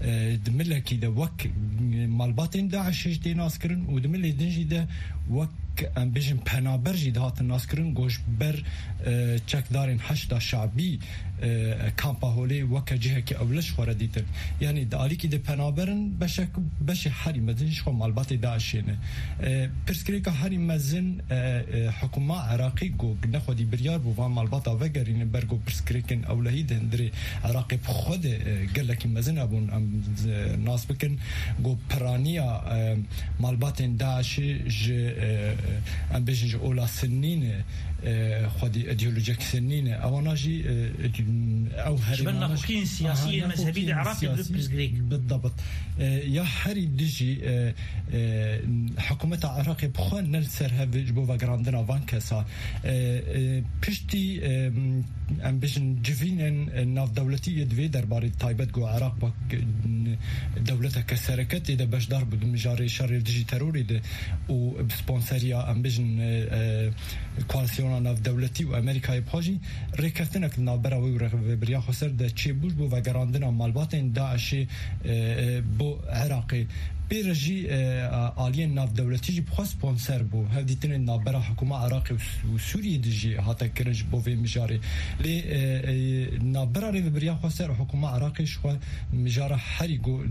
e, di milekî de wek malbatên DAIŞê jî tê naskirin û di milê din jî de wek, em bêjin, penaber jî dihatin naskirin, ku ji ber, e, çekdarên Heşda Şabî, e, kampa Holê weke cihekî ewle ji xwe re dîtin. Yanî di alîkî de penaber in, beşek, beşê herî mezin ji xwe malbatê DAIŞê ne. E, pirsgirêka herî mezin, e, e, hikûma Iraqî ku nexwedî biryar bû van malbata vegerîne, ber ku pirsgirêkên ewlehî di hundirê Iraqê bi xwe de, e, gelekî mezin hebûn. Em, e, nas bikin ku piraniya, e, malbatên DAIŞê ji, e, em bêjin ji ola Sinnî ne, e, xwedî îdeolojiyek Sinnî ne. Ewana jî, e, ew herêmana jî naxweşiyên siyasî yên mezhebî di Iraqê de pirsgirêk. Bidabt. E, ya herî dijî, e, e, hikûmeta Iraqê bi xwe ne li ser hev ji bo vegerandina van kesa. E, e, piştî, e, em bêjin civînên, e, navdewletî yê di vê derbarê taybet ku Iraq wek, e, dewleteke sereke tê de beşdar bû di mijarê şerê dijî terorê de û bi sponseriya, em bêjin, e, e, koalîsyona navdewletî û Amerîkayê bi xwe jî rêkeftinek di navbera wê û Rêveberiya Xweser de çêbû ji bo vegerandina malbatên DAIŞê, e, e, bo Iraqê. Pê re jî, e, aliyên navdewletî jî bi xwe sponser bû. Hevdîtinên navbera hikûma Iraqê û Sû-, û Sûriyê de jî hate kirin ji bo vê mijarê. Lê, e, e, navbera Rêveberiya Xweser û hikûma Iraqê ji xwe mijara herî ku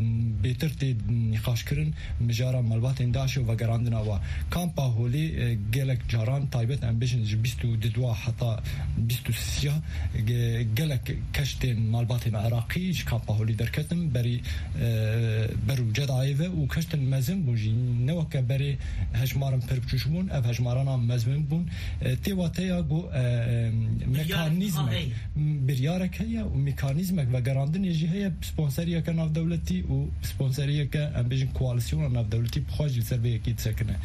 bêtir tê nîqaşkirin, mijara malbatên DAIŞê û vegerandina wa. Kampa Holê, e, gelek caran taybet, em bêjin, ji bîst û du heta bîst û sê, ge-, gelek keştên malbatên Iraqî ji kampa Holê derketin, berî, e, ber û Cedayê ve û keştin mezin bûn jî. Ne weke berê hejmarin pir biçûk bûn, ev hejmarana mezin bûn. E, tê wateya ku, e, e, mekanîzmek, biryarek heye û mekanîzmek vegerandinê jî heye, sponseriyeke navdewletî û sponseriyeke, em bêjin, koalîsyona navdewletî bi xwe jî li ser vê yekê disekine.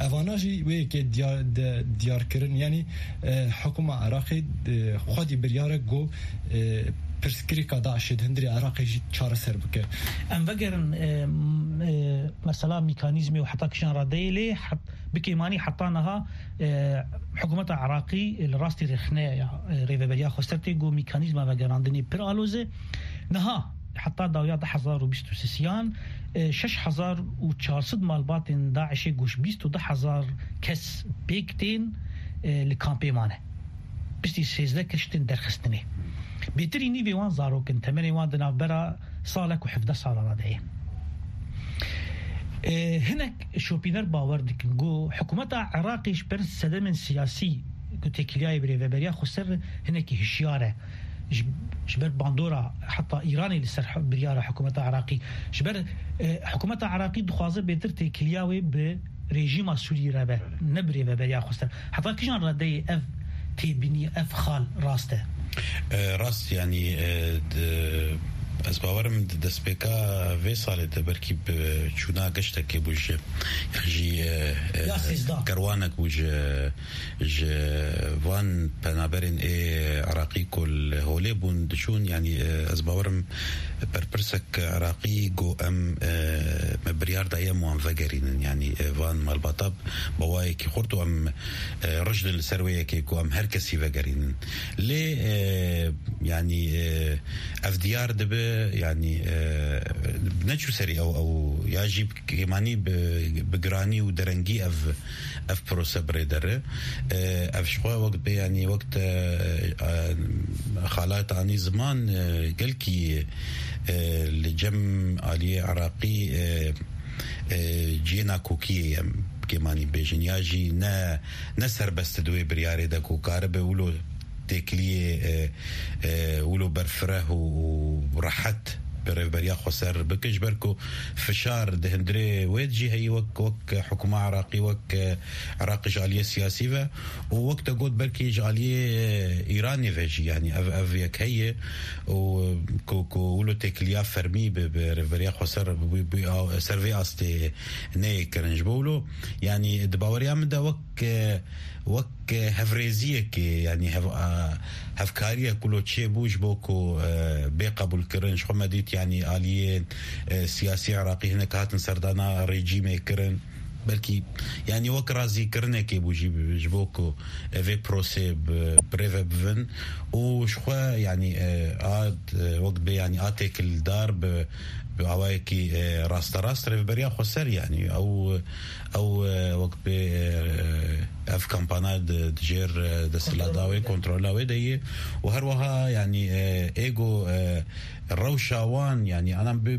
Evana jî wê yekê diyar, de, diyar kirin, yanî, e, hikûma Iraqê, e, xwedî biryarek ku, e, pirsgirêka DAIŞê di hundirê Iraqê jî çareser bike. Em vegerin, e, m-, e, mesela mekanîzmê û heta kîjan radeyê lê het-, bi kêmanî heta niha, e, hikûmeta Iraqî li rastî rêxine ya, e, Rêveberiya Xweser tê ku mekanîzma vegerandinê pir aloz e. Niha heta dawiya du hezar û bîst û sêyan, e, şeş hezar û çar sed malbatên DAIŞê ku ji bîst û du hezar kes pêk tên, e, li kampê mane. Piştî sêzdeh kes tên derxistinê. Bêtirî nîvê wan zarok in, temenê wan di navbera salek û hevdeh salan de ye. E, hinek şopîner bawer dikin ku hikûmeta Iraqê ji ber sedemên siyasî ku têkiliyayê bi rêveberiya xweser hinekî hişyar e. Ji, ji ber bandora heta Îranê li ser biryara hikûmeta Iraqî. Ji ber, e, hikûmeta Iraqî dixwaze bêtir têkiliya wê bi rejîma Sûriyê re be, ne bi rêveberiya xweser. Heta kijan redeyê ev têbînî, ev xal rast e? E, rast, yanî, e, di, ez bawerim di destpêka vê salê de belkî bi çûna geştekê bû ji, yan jî, e, e, Ya sêzdeh. kerwanek bû ji, ji van penaberên ê Iraqî ku li holê bûn diçûn, yanî, e, ez bawerim berpirsek Iraqî got em, e, me biryar daye em wan vegerînin, yanî, e, van malbata bi wayekî xurt û em, e, rijd in li ser wê yekê ku em her kesî vegerînin. Lê, e, yanî, e, ev diyar dibe, yanî, e, neçû serî ew, ew ya jî kêmanî bi, bi giranî û derengî ev, ev prose bi rê dere. E, ev ji xwe wek bê, yanî wek te, e, xalat anî ziman, e, gelkî, e, li cem aliyê Iraqî, e, e, cihê nakokiyê ye, em kêmanî bêjin, ya jî ne, ne serbest di wê biryarê de ku karibe wilo têkiliyê, e, e, wilo berfireh û, û rehet bi rêveberiya xweser bike, ji ber ku fişar di hundirê wê de jî heyî wek, wek hikûma Iraqî, wek, e, Iraqê ji aliyê siyasî ve û wek te got belkî ji aliyê, e, Îranê ve jî, yanî ev, ev yek heye û, e, ku, ku wilo têkiliya fermî bi, bi rêveberiya xweser bi, bi, bi, ser vê astê neyê kirin. Ji bo wilo, yanî di baweriya min de wek, e, wek, e, hevrêziyekê, yanî hev-, a, hevkariyek wilo çêbû ji bo ku, e, bê qebûlkirin. Ji xwe me dît, yanî aliyên, e, siyasî Iraqî hinek hatin serdana rejîmê kirin. Belkî, yanî wek razîkirinekê bû jî, ji bo ku, e, vê prosê bi, bi rê ve bivin û ji xwe, yanî, e, a, e, wek bê, yanî a têkildar bi, bi awayekî, e, rasterast rêveberiya xweser, yanî ew, ew, e, wek bê, e, ev kampana di, di jêr, e, desthilatda wê, kontrola wê de ye û her wiha, yanî, e, êgo, e, rewşa wan, yanî, anan bi,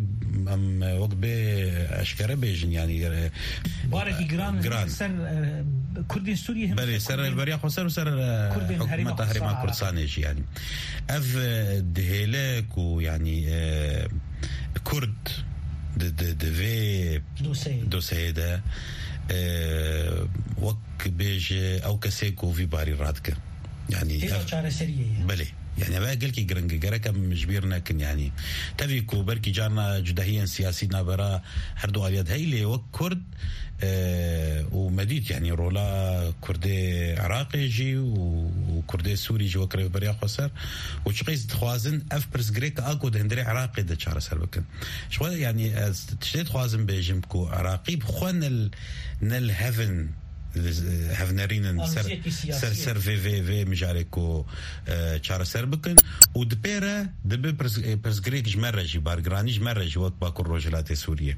em, wek bê eşkere bêjin, yanî, e, Barekî giran, giran. ser, e, Kurdên Sûriyê hem Belê, ser ser Kurdên rêveberiya xweser û ser, e, Kurdên Herêma hikûmeta Herêma Kurdistan Kurdistanê jî, yanî. Ev, e, dihêle ku, yanî, e, Kurd di, di, di vê Dosyeyê. dosyeyê de, e, wek bêje ew kesê ku vî barî radike. Yanî Hêja ev çareseriyê ye. Belê. Yanî ev gelkî giring e. Gerek em ji bîr nekin, yanî. Tevî ku belkî carna cudahiyên siyasî navbera her du aliya de heye, lê wek Kurd, e, û me dît, yanî rola Kurdê Iraqê jî û, û Kurdê Sûrî jî wek rêveberiya xweser û çiqas dixwazin ev pirsgirêk a ku di hundirê Iraqê de çareser bikin. Ji xwe, yanî ez tiştê dixwazim bêjim ku Iraqî bi xwe ne li, ne li hev in, hevnerînin ser, Aloziyekî siyasî ser, ye. ser vê, vê, vê mijarê ku, e, çareser bikin û di pê re dibe pirs-, e, pirsgirêk ji me re jî, bargiranî ji me re jî wek Bakur Rojhilatê Sûriyê.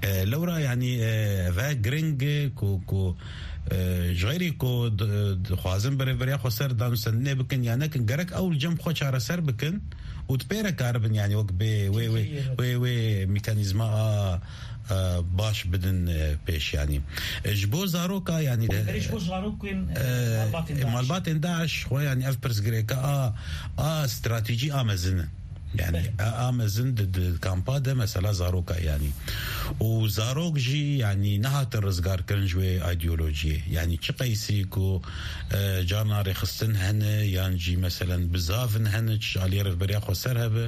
E, lewra, yanî, e, ve giring e ku, ku, e, ji xeyrî ku di-, dixwazin bi rêveberiya xweser danûstendinê bikin ya nekin, gerek ew li cem xwe çareser bikin û di pê re karibin, yanî wek bê wê, wê, Kêkeyê, evet. wê, wê mekanîzma a, e, baş bidin, e, pêş, yanî. E, ji bo zaroka, yanî, Belê ji bo zarokên, e, e, malbatên DAIŞ. malbatên DAIŞ xwe, yanî, ev pirsgirêka a, a stratejî a mezin e. Yanî, Belê. a, a mezin di, di kampa de mesela zaroka, yanî. Û zarok jî, yanî, nehatin rizgarkirin ji wê ideolojiyê. Yanî, çi qeysî ku, e, carna rêxistin hene, yan jî, meselen, bizavin hene, ji aliyê rêveberiya xweser hebe,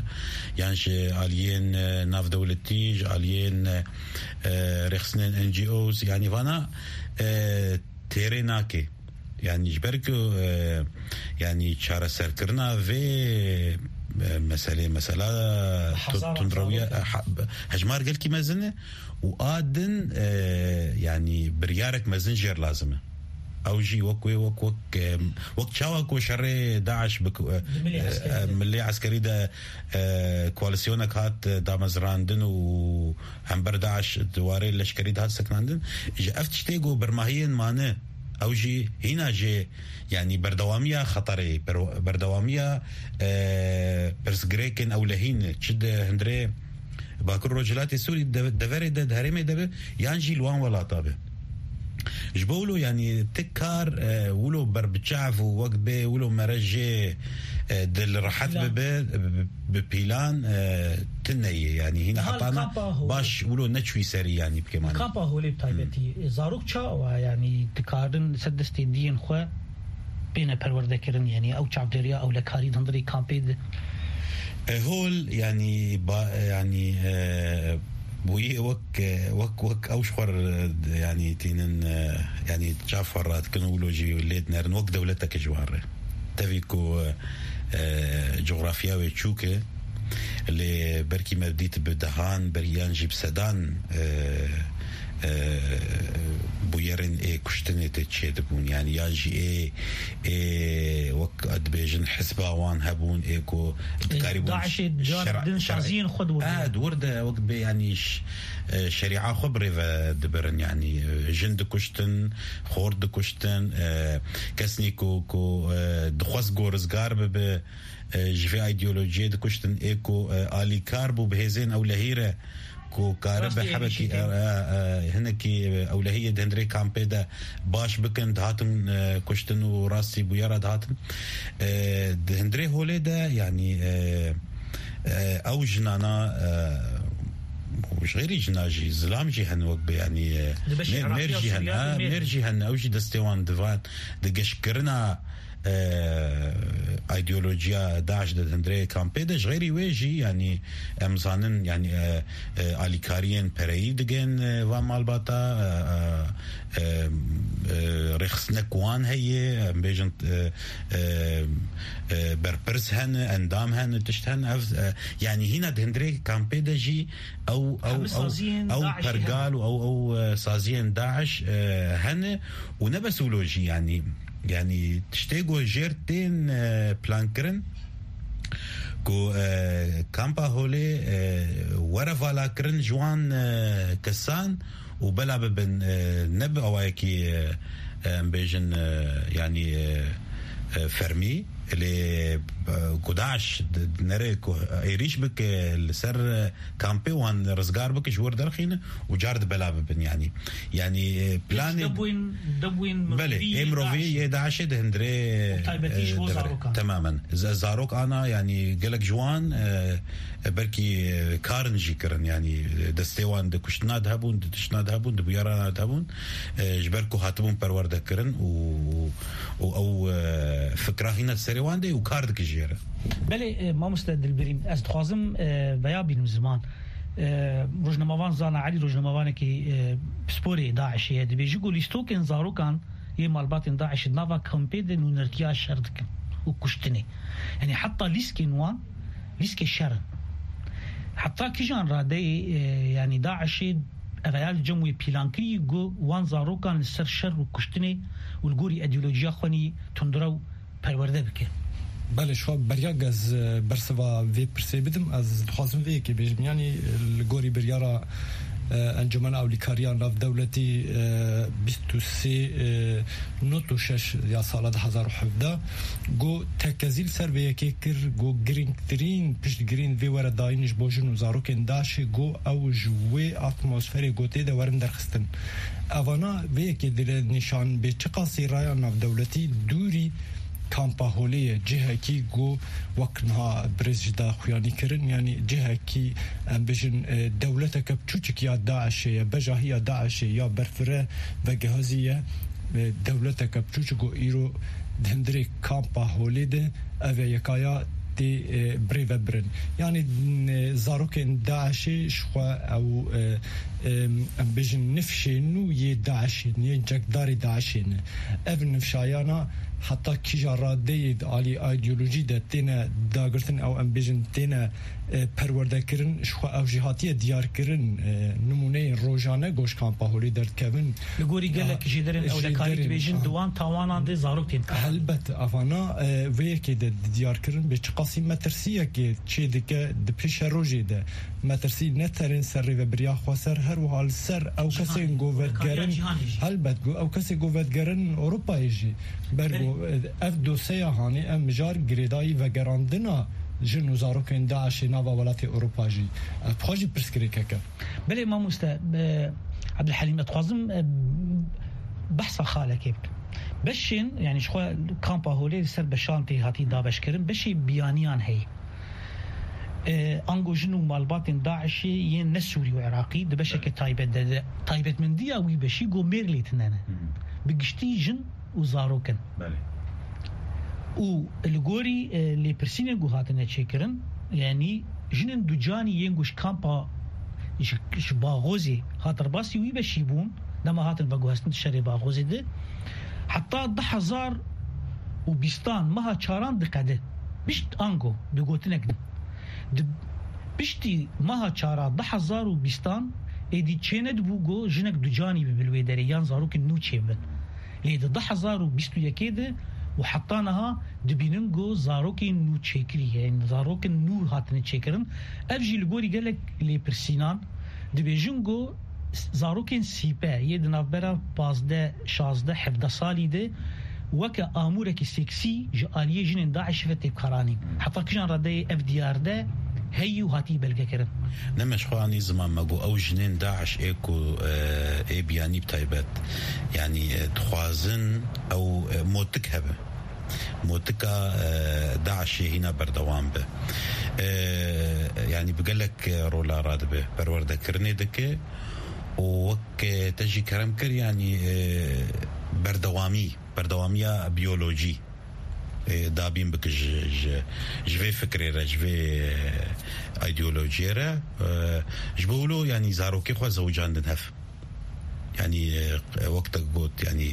yan ji aliyên, e, navdewletî, ji aliyên, e, e, rêxistinên N G Os, yanî, vana, e, têrê nake. Yanî ji ber ku, e, yanî çareserkirina vê, e, meselê, mesela Bi hezaran tundrewiya, zarok e, ha-, hejmar gelkî mezin e û a din, e, yanî biryarek mezin jêr lazim e. Ew jî wek wê, wek, wek, e, wek çawa ku şerê DAIŞ bi ku, e, Di milê e, eskerî de. milê eskerî de, e, koalîsyonek hat, e, damezrandin û hember DAIŞ di warê leşkerî de hat sekinandin. Ji ev tiştê ku bermahiyên mane Ew jî hîna jê, yanî berdewamiya xeterê, per-, berdewamiya, e, pirsgirêkên ewlehî ne, çi di hundirê Bakur Rojhilatê Sûrî de, deverê de, di herêmê de be, yan jî li wan welata be. Ji bo wilo, yanî ti kar, e, wilo berbiçav û wek bê wilo mere jê, e, dil rehet Plan. bibe, bi, bi plan, e, tune ye. Yanî hîna Niha li hetana kampa Holê. baş wilo neçûyî serî, yanî bikê Li manî. kampa Holê bi taybetî, zarok çawa, yanî dikarin ser destê diyên xwe bêne perwerdekirin, yanî ew çavdêriya ewlekarî di hundirê kampê de? E, hol, yanî, ba-, yanî, e, bûyî wek, e, wek, wek ew ji xwe re, e, yanî tînin, e, yanî çav xwe radikin û wilo jî lê dinerin wek dewleteke ji wan re. Tevî ku, e, coxrafya wê çûk e, lê berkî me dît bi dehan, ber-, yan jî bi sedan, e, e, bûyerên ê kuştinê tê çêdibûn. Yanî yan jî ê, ê wek dibêjin hizba wan hebûn, ê ku dikarîbûn DAIŞê di cihana şera-, din şera-, saziyên xwe di wir de. Ah, di wir de wek dibê yanî ş-, e, şerîa xwe bi rê ve dibirin. Yanî, e, jin dikuştin, xort dikuştin, e, kesnî ku, ku, e, dixwest ku rizgar bibe, e, ji vê îdeolojiyê dikuştin, ê ku, e, alîkar bû bi hêzên ewlehî re, ku karibe Rastî hebekî, êrîşî tê. e, e, e, hinekî, e, ewlehiyê di hundirê kampê de baş bikin, dihatin, e, kuştin û rastî bûyera dihatin. E, di hundirê holê de, yanî, e, e, ew jinana, e, û ji xêrî jina jî, zilam jî hene wek bi, yanî, e, Di beşê mêr, mêr Iraqî ya jî hene, Sûriya ha, de mêr. mêr jî hene, ew jî destê wan di van, di geşkirina, e, îdeolojiya DAIŞ de di hundirê kampê de, ji xêrî wê jî, yanî, em zanin, yanî, e, e, alîkariyên pereyî digên, e, van malbata, e, e, e, e, rêxistinek wan heye, em bêjin, e, e, e, berpirs hene, endam hene, tişt hene, ev, e, yanî hîna di hundirê kampê de jî ew, ew, Hemî ew, saziyên ew DAIŞê pergal hene. û ew, ew, e, saziyên DAIŞ, e, hene û ne bes wilo jî, yanî, yanî tiştê ku jêr tên, e, plankirin, ku, e, kampa holê, e, were valakirin ji wan, e, kesan û bela bibin, e, ne bi awayekî, e, e, em bêjin, e, yanî, e, e, fermî, lê, e, ku DAIŞ di, di nere ku êrîş bike li ser, e, kampê wan rizgar bike ji wir derxîne û car di bela bibin, yanî. Yanî, e, planê Debûn, debûn Belê, mirovî ê mirovî DAIŞ. yê DAIŞê di hundirê, Û taybetî ji e, bo devre. zarokan. Temamen. Z-, zarok ana, yanî gelek ji wan, e, e, belkî, e, karin jî kirin, yanî, e, destê wan di kuştina de hebûn, di tiştina de hebûn, di bûyerana de hebûn, e, ji ber ku hatibûn perwerde kirin û, û ew, e, fikra hîna di serê wan de û kar dike jê re. Belê, e, mamoste Dilbirîn, ez dixwazim, e, veya bînim ziman. E, rojnamevan Zana Elî, rojnamevanekî, e, pisporê DAIŞê ye, dibêje ku lîstokên zarokan yê malbatên DAIŞ di nava kampê de nûnertiya şer dikin û kuştinê. Yanî heta lîskên wan lîskê şer in. Heta kijan radeyê, e, yanî DAIŞê ev ya li cem wê pîlan kirî ku wan zarokan li ser şer û kuştinê û li gorî îdeolojiya xwe nî tundrew perwerde bike? Belê, şiwa beriya ez, e, bersiva vê pirsê bidim, ez dixwazim vê yekê bêjim. Yanî, e, li gorî biryara, e, Encûmena Ewlîkariya Navdewletî, e, bîst û sê, e, nod û şeş ya sala du hezar û hevdeh, got tekezî li ser vê yekê kir, got girîngtirîn piştgirîn vê were dayîn ji bo jin û zarokên DAIŞê, got ew ji wê atmosferê got tê de werin derxistin. Evana vê yekê dide nîşan bê çiqasî raya navdewletî dûrî kampa holê ye, cihekî ku wek niha birêz jî da xuyanî kirin, yanî cihekî, em bêjin, e, dewleteke piçûçik ya DAIŞê ye, bejahiya DAIŞê ya berfireh vegehazî ye, e, dewleteke piçûçik ku îro di hundirê kampa holê de ev e yekaya tê, e, birê ve birin. Yanî, e, zarokên DAIŞê ji xwe ew, e, em, em bêjin nifşên nû yê DAIŞê ne, yên çekdarê DAIŞê ne. Ev nifşayana heta kîja radeyê di alî îdeolojî de têne dagirtin, ew em bêjin têne, e, perwerde kirin, ji xwe ew jî hatiye diyar kirin, e, nimûneyên rojane ku ji kampa holê derdikevin. Li gorî gelek Aha, jêderên ewlekarî jêderên, dibêjin aha. di wan tawanan de zarok tên. Helbet, evana, e, vê yekê de diyar kirin bê çiqasî metirsiyekê çê dike di pêşerojê de. Metirsî ne terên ser rêvebiriya xweser, her wiha li ser ew kesên ku vedigerin, helbet ku ew kesên ku vedigerin Ewropayê jî. Ber ku ev doseya hanê, ev mijar girêdayî vegerandina jin û zarokên DAIŞê nava welatê Ewropa jî. Ev xwe jî pirsgirêkek e. Belê mamoste, e, Ebdulhelîm, ez dixwazim, e, behsa xalekê bikim. Beşên, yanî ji xwe kampa holê li ser beşan tê hatî dabeşkirin, beşê biyaniyan heye. E, ango jin û malbatên DAIŞê yên ne Sûrî û Iraqî di beşeke taybet de, de taybetmendiya wî beşî go mêr lê tune ne. Bi giştî jin û zarok in. Belê. Û li gorî, e, lêpirsînên ku hatine çêkirin, yanî jinên ducanî yên ku ji kampa, ji, ji Baxozê hat rebasî wî beşî bûn, dema hatin veguhestin di şerê Baxozê de, heta du hezar û bîstan meha çaran diqede. Pişt ango, bi gotinek din. Di piştî meha çara du hezar û bîstan êdî çênedibû go jinek ducanî bibe li wê derê yan zarokên nû çêbibin. Lê di du hezar û bîst û yekê de û heta niha dibînin go zarokên nû çêkirî, yanî zarokên nû hatine çêkirin. Ev jî li gorî gelek lêpirsînan dibêjin go zarokên sîpe yê di navbera pazdeh, şazdeh, hevdeh salî de weke amûrekî seksî ji aliyê jinên DAIŞ ve tê bikaranîn. Heta kijan redeyê ev diyar de heyî û hatî belgekirin. Ne me ji xwe anî ziman me got ew jinên DAIŞ ê ku, e, ê biyanî bi taybet, yanî, e, dixwazin ew, e, motik hebe. Motika, e, DAIŞê hîna berdewam be. E, yanî bi gelek, e, rola radibe. Perwerdekirinê dike û wek, e, te jî kerem kir, yanî, e, berdewamî, berdewamiya biyolojî, e, dabîn bike ji, ji, ji vê fikrê re, ji vê, e, îdeolojiyê re, e, ji bo wilo, yanî zarokê xwe zewicandin hev. Yanî, e, wek te got, yanî,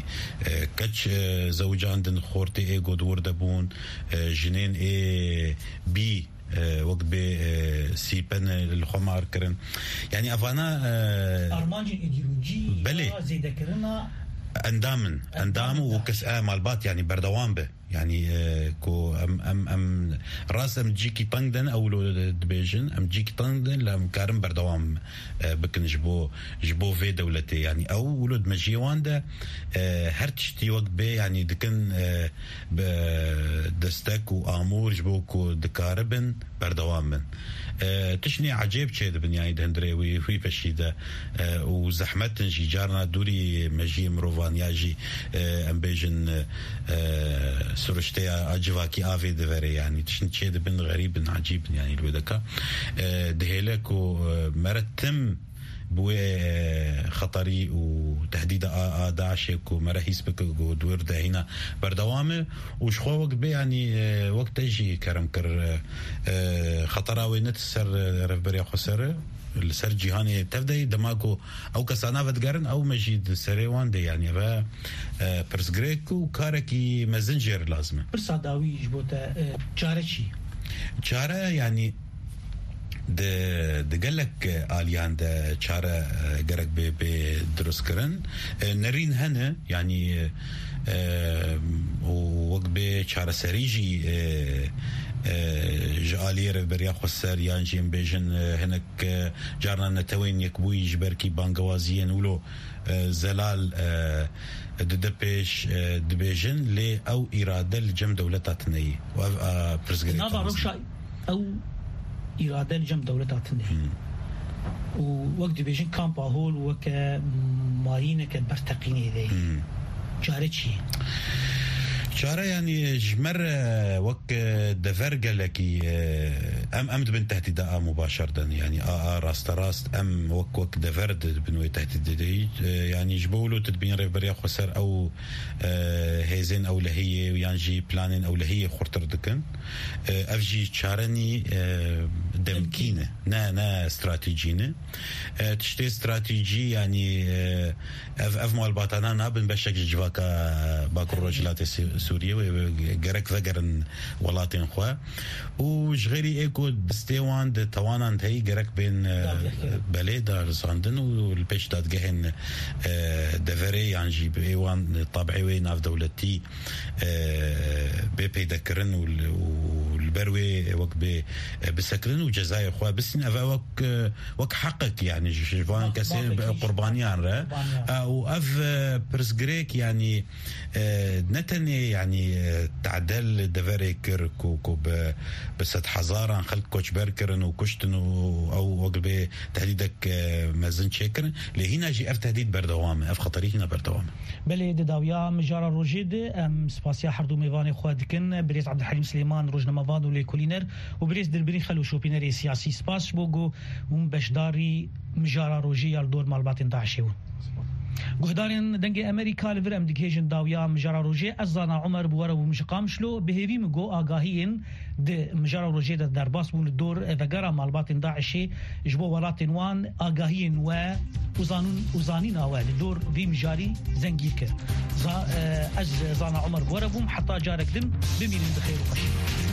e, keç, e, zewicandin, xortê ê got wir de bûn, e, jinên ê bî, e, wek bê, e, sîpen li xwe mar kirin. Yanî evana, e, armancên îdeolojî, belê, ya zêdekirina endam in. Endam û kes, e, malbat, yanî berdewam be. Yanî, e, ku em, em, em rast em cîkî teng din, ew lo dibêjin, em cîkî teng din, lê em karin berdewam, e, bikin ji bo, ji bo vê dewletê. Yanî ew wilo di mejiyê wan de, e, her tiştî wek bê, yanî dikin, e, bi destek û amûr ji bo ku dikaribin berdewam bin. E, tiştê ecêb çêdibin, yanî di hundirê wî, wî beşî de, e, û zehmet in jî, carna dûrî mejiyê mirovan ya jî, e, em bêjin, e, siruşteya a civakî avê diverê, yanî tiştên çêdibin xerîb in, ecîb in, yanî li wê deka, e, dihêle ku, e, mere tim bi wê, e, xeterî û tehdîda a, a DAIŞê ku mere hîs bike ku di wir de hîna berdewam e û ji xwe wek bê, yanî, e, wek te jî kerem kir, e, e, xetera wê ne ser, e, revberiya xweser e, li ser cîhanê tev de ye. Dema ku ew kesana vedigerin, ew me jî di serê wan de, yanî, ve, e, pirsgirêk û karekî mezin jê re lazim e. Pirsa dawî ji bo te, e, çare çi? Çare, yanî, di, di gelek aliyan de çare, e, gerek bê, bê dirustkirin. E, nerîn hene, yanî, e, û wek bê çareserî jî, e, e, ji aliyê Rêveberiya Xweser yan jî em bêjin, e, hinek, e, carna Netewên Yekbûyî ji ber kî bangewaziyên wilo, e, zelal, e, dide pêş, e, dibêjin, lê ew îrade li cem dewleta tune ye. Û ev, e, pirsgirêk Nava e. Rewşa ew îrade li cem dewleta tune ye. Hmm. Û wek dibêjin kampa hol weke mayîneke berteqînê de ye. Hmm. Çare çi ye? Çare, yanî, ji me re wek, e, dever gelekî, e, em, em dibin tehdîda a mubaşer de, yanî a, a rasterast em wek, wek dever di, dibin wê tehdîdê de. E, yanî ji bo wilo tu dibîn Rêveberiya Xweser ew, e, hêzên ewlehiyê yan jî planên ewlehiyê xurtir dikin. E, ev jî çare nî, e, demkî ne. Ne, ne stratejî ne. E, tiştê stratejî, yanî, e, ev, ev malbatana nabin beşek ji civaka Bakur Rojhilatê Sî-, Sûriyê wê, wê gerek vegerin welatên xwe. Û ji xêrî ê ku destê wan di tawanan de heyî gerek bên, e, Dadgehkirin. Belê darizandin û li pêş dadgehên, e, deverê yan jî bi ê wan tabiê wê navdewletî, e, bê peydekirin û li, û li ber wê wek bê, e, bisekirin û cezayê xwe bistîn. Ev e wek, e, wek heqek, yani ji, ji van kesên qurbaniyan re. E, û ev, e, pirsgirêk, yani, e, ne tenê, yani, e, tadel li deverê kir ku, ku bi, bi sedhezaran xelk koçber kirin û kuştin û ew wek bê tehdîdek, e, mezin çêkirin. Lê hîna jî ev tehdîd berdewam e, ev xeterî hîna berdewam e. Belê, di dawiya mijara rojê de em spasiya her du mêvanê xwe dikin. Birêz Abdulhelîm Silêman, rojnamevan û lêkolîner, û birêz Dilbirî Xelo, şopînerê siyasî. Spas ji bo ku hûn beşdarî mijara rojê ya li dor malbatên DAIŞê bûn. Guhdarên Dengê Amerîka, li vir em digihêjin dawiya mijara rojê. Ez Zana Omer bi we re bûm ji Qamişlo. Bi hêvî min got agahiyên di mijara rojê de derbas bûn li dor vegera malbatên DAIŞê ji bo welatên wan agahiyên we û zanûn-, û zanîna we li dor vî mijarî zengîn kir. Za-, e, ez Zana Omer bi we re bûm. Heta carek din, bimînin bi xêr û xweşî.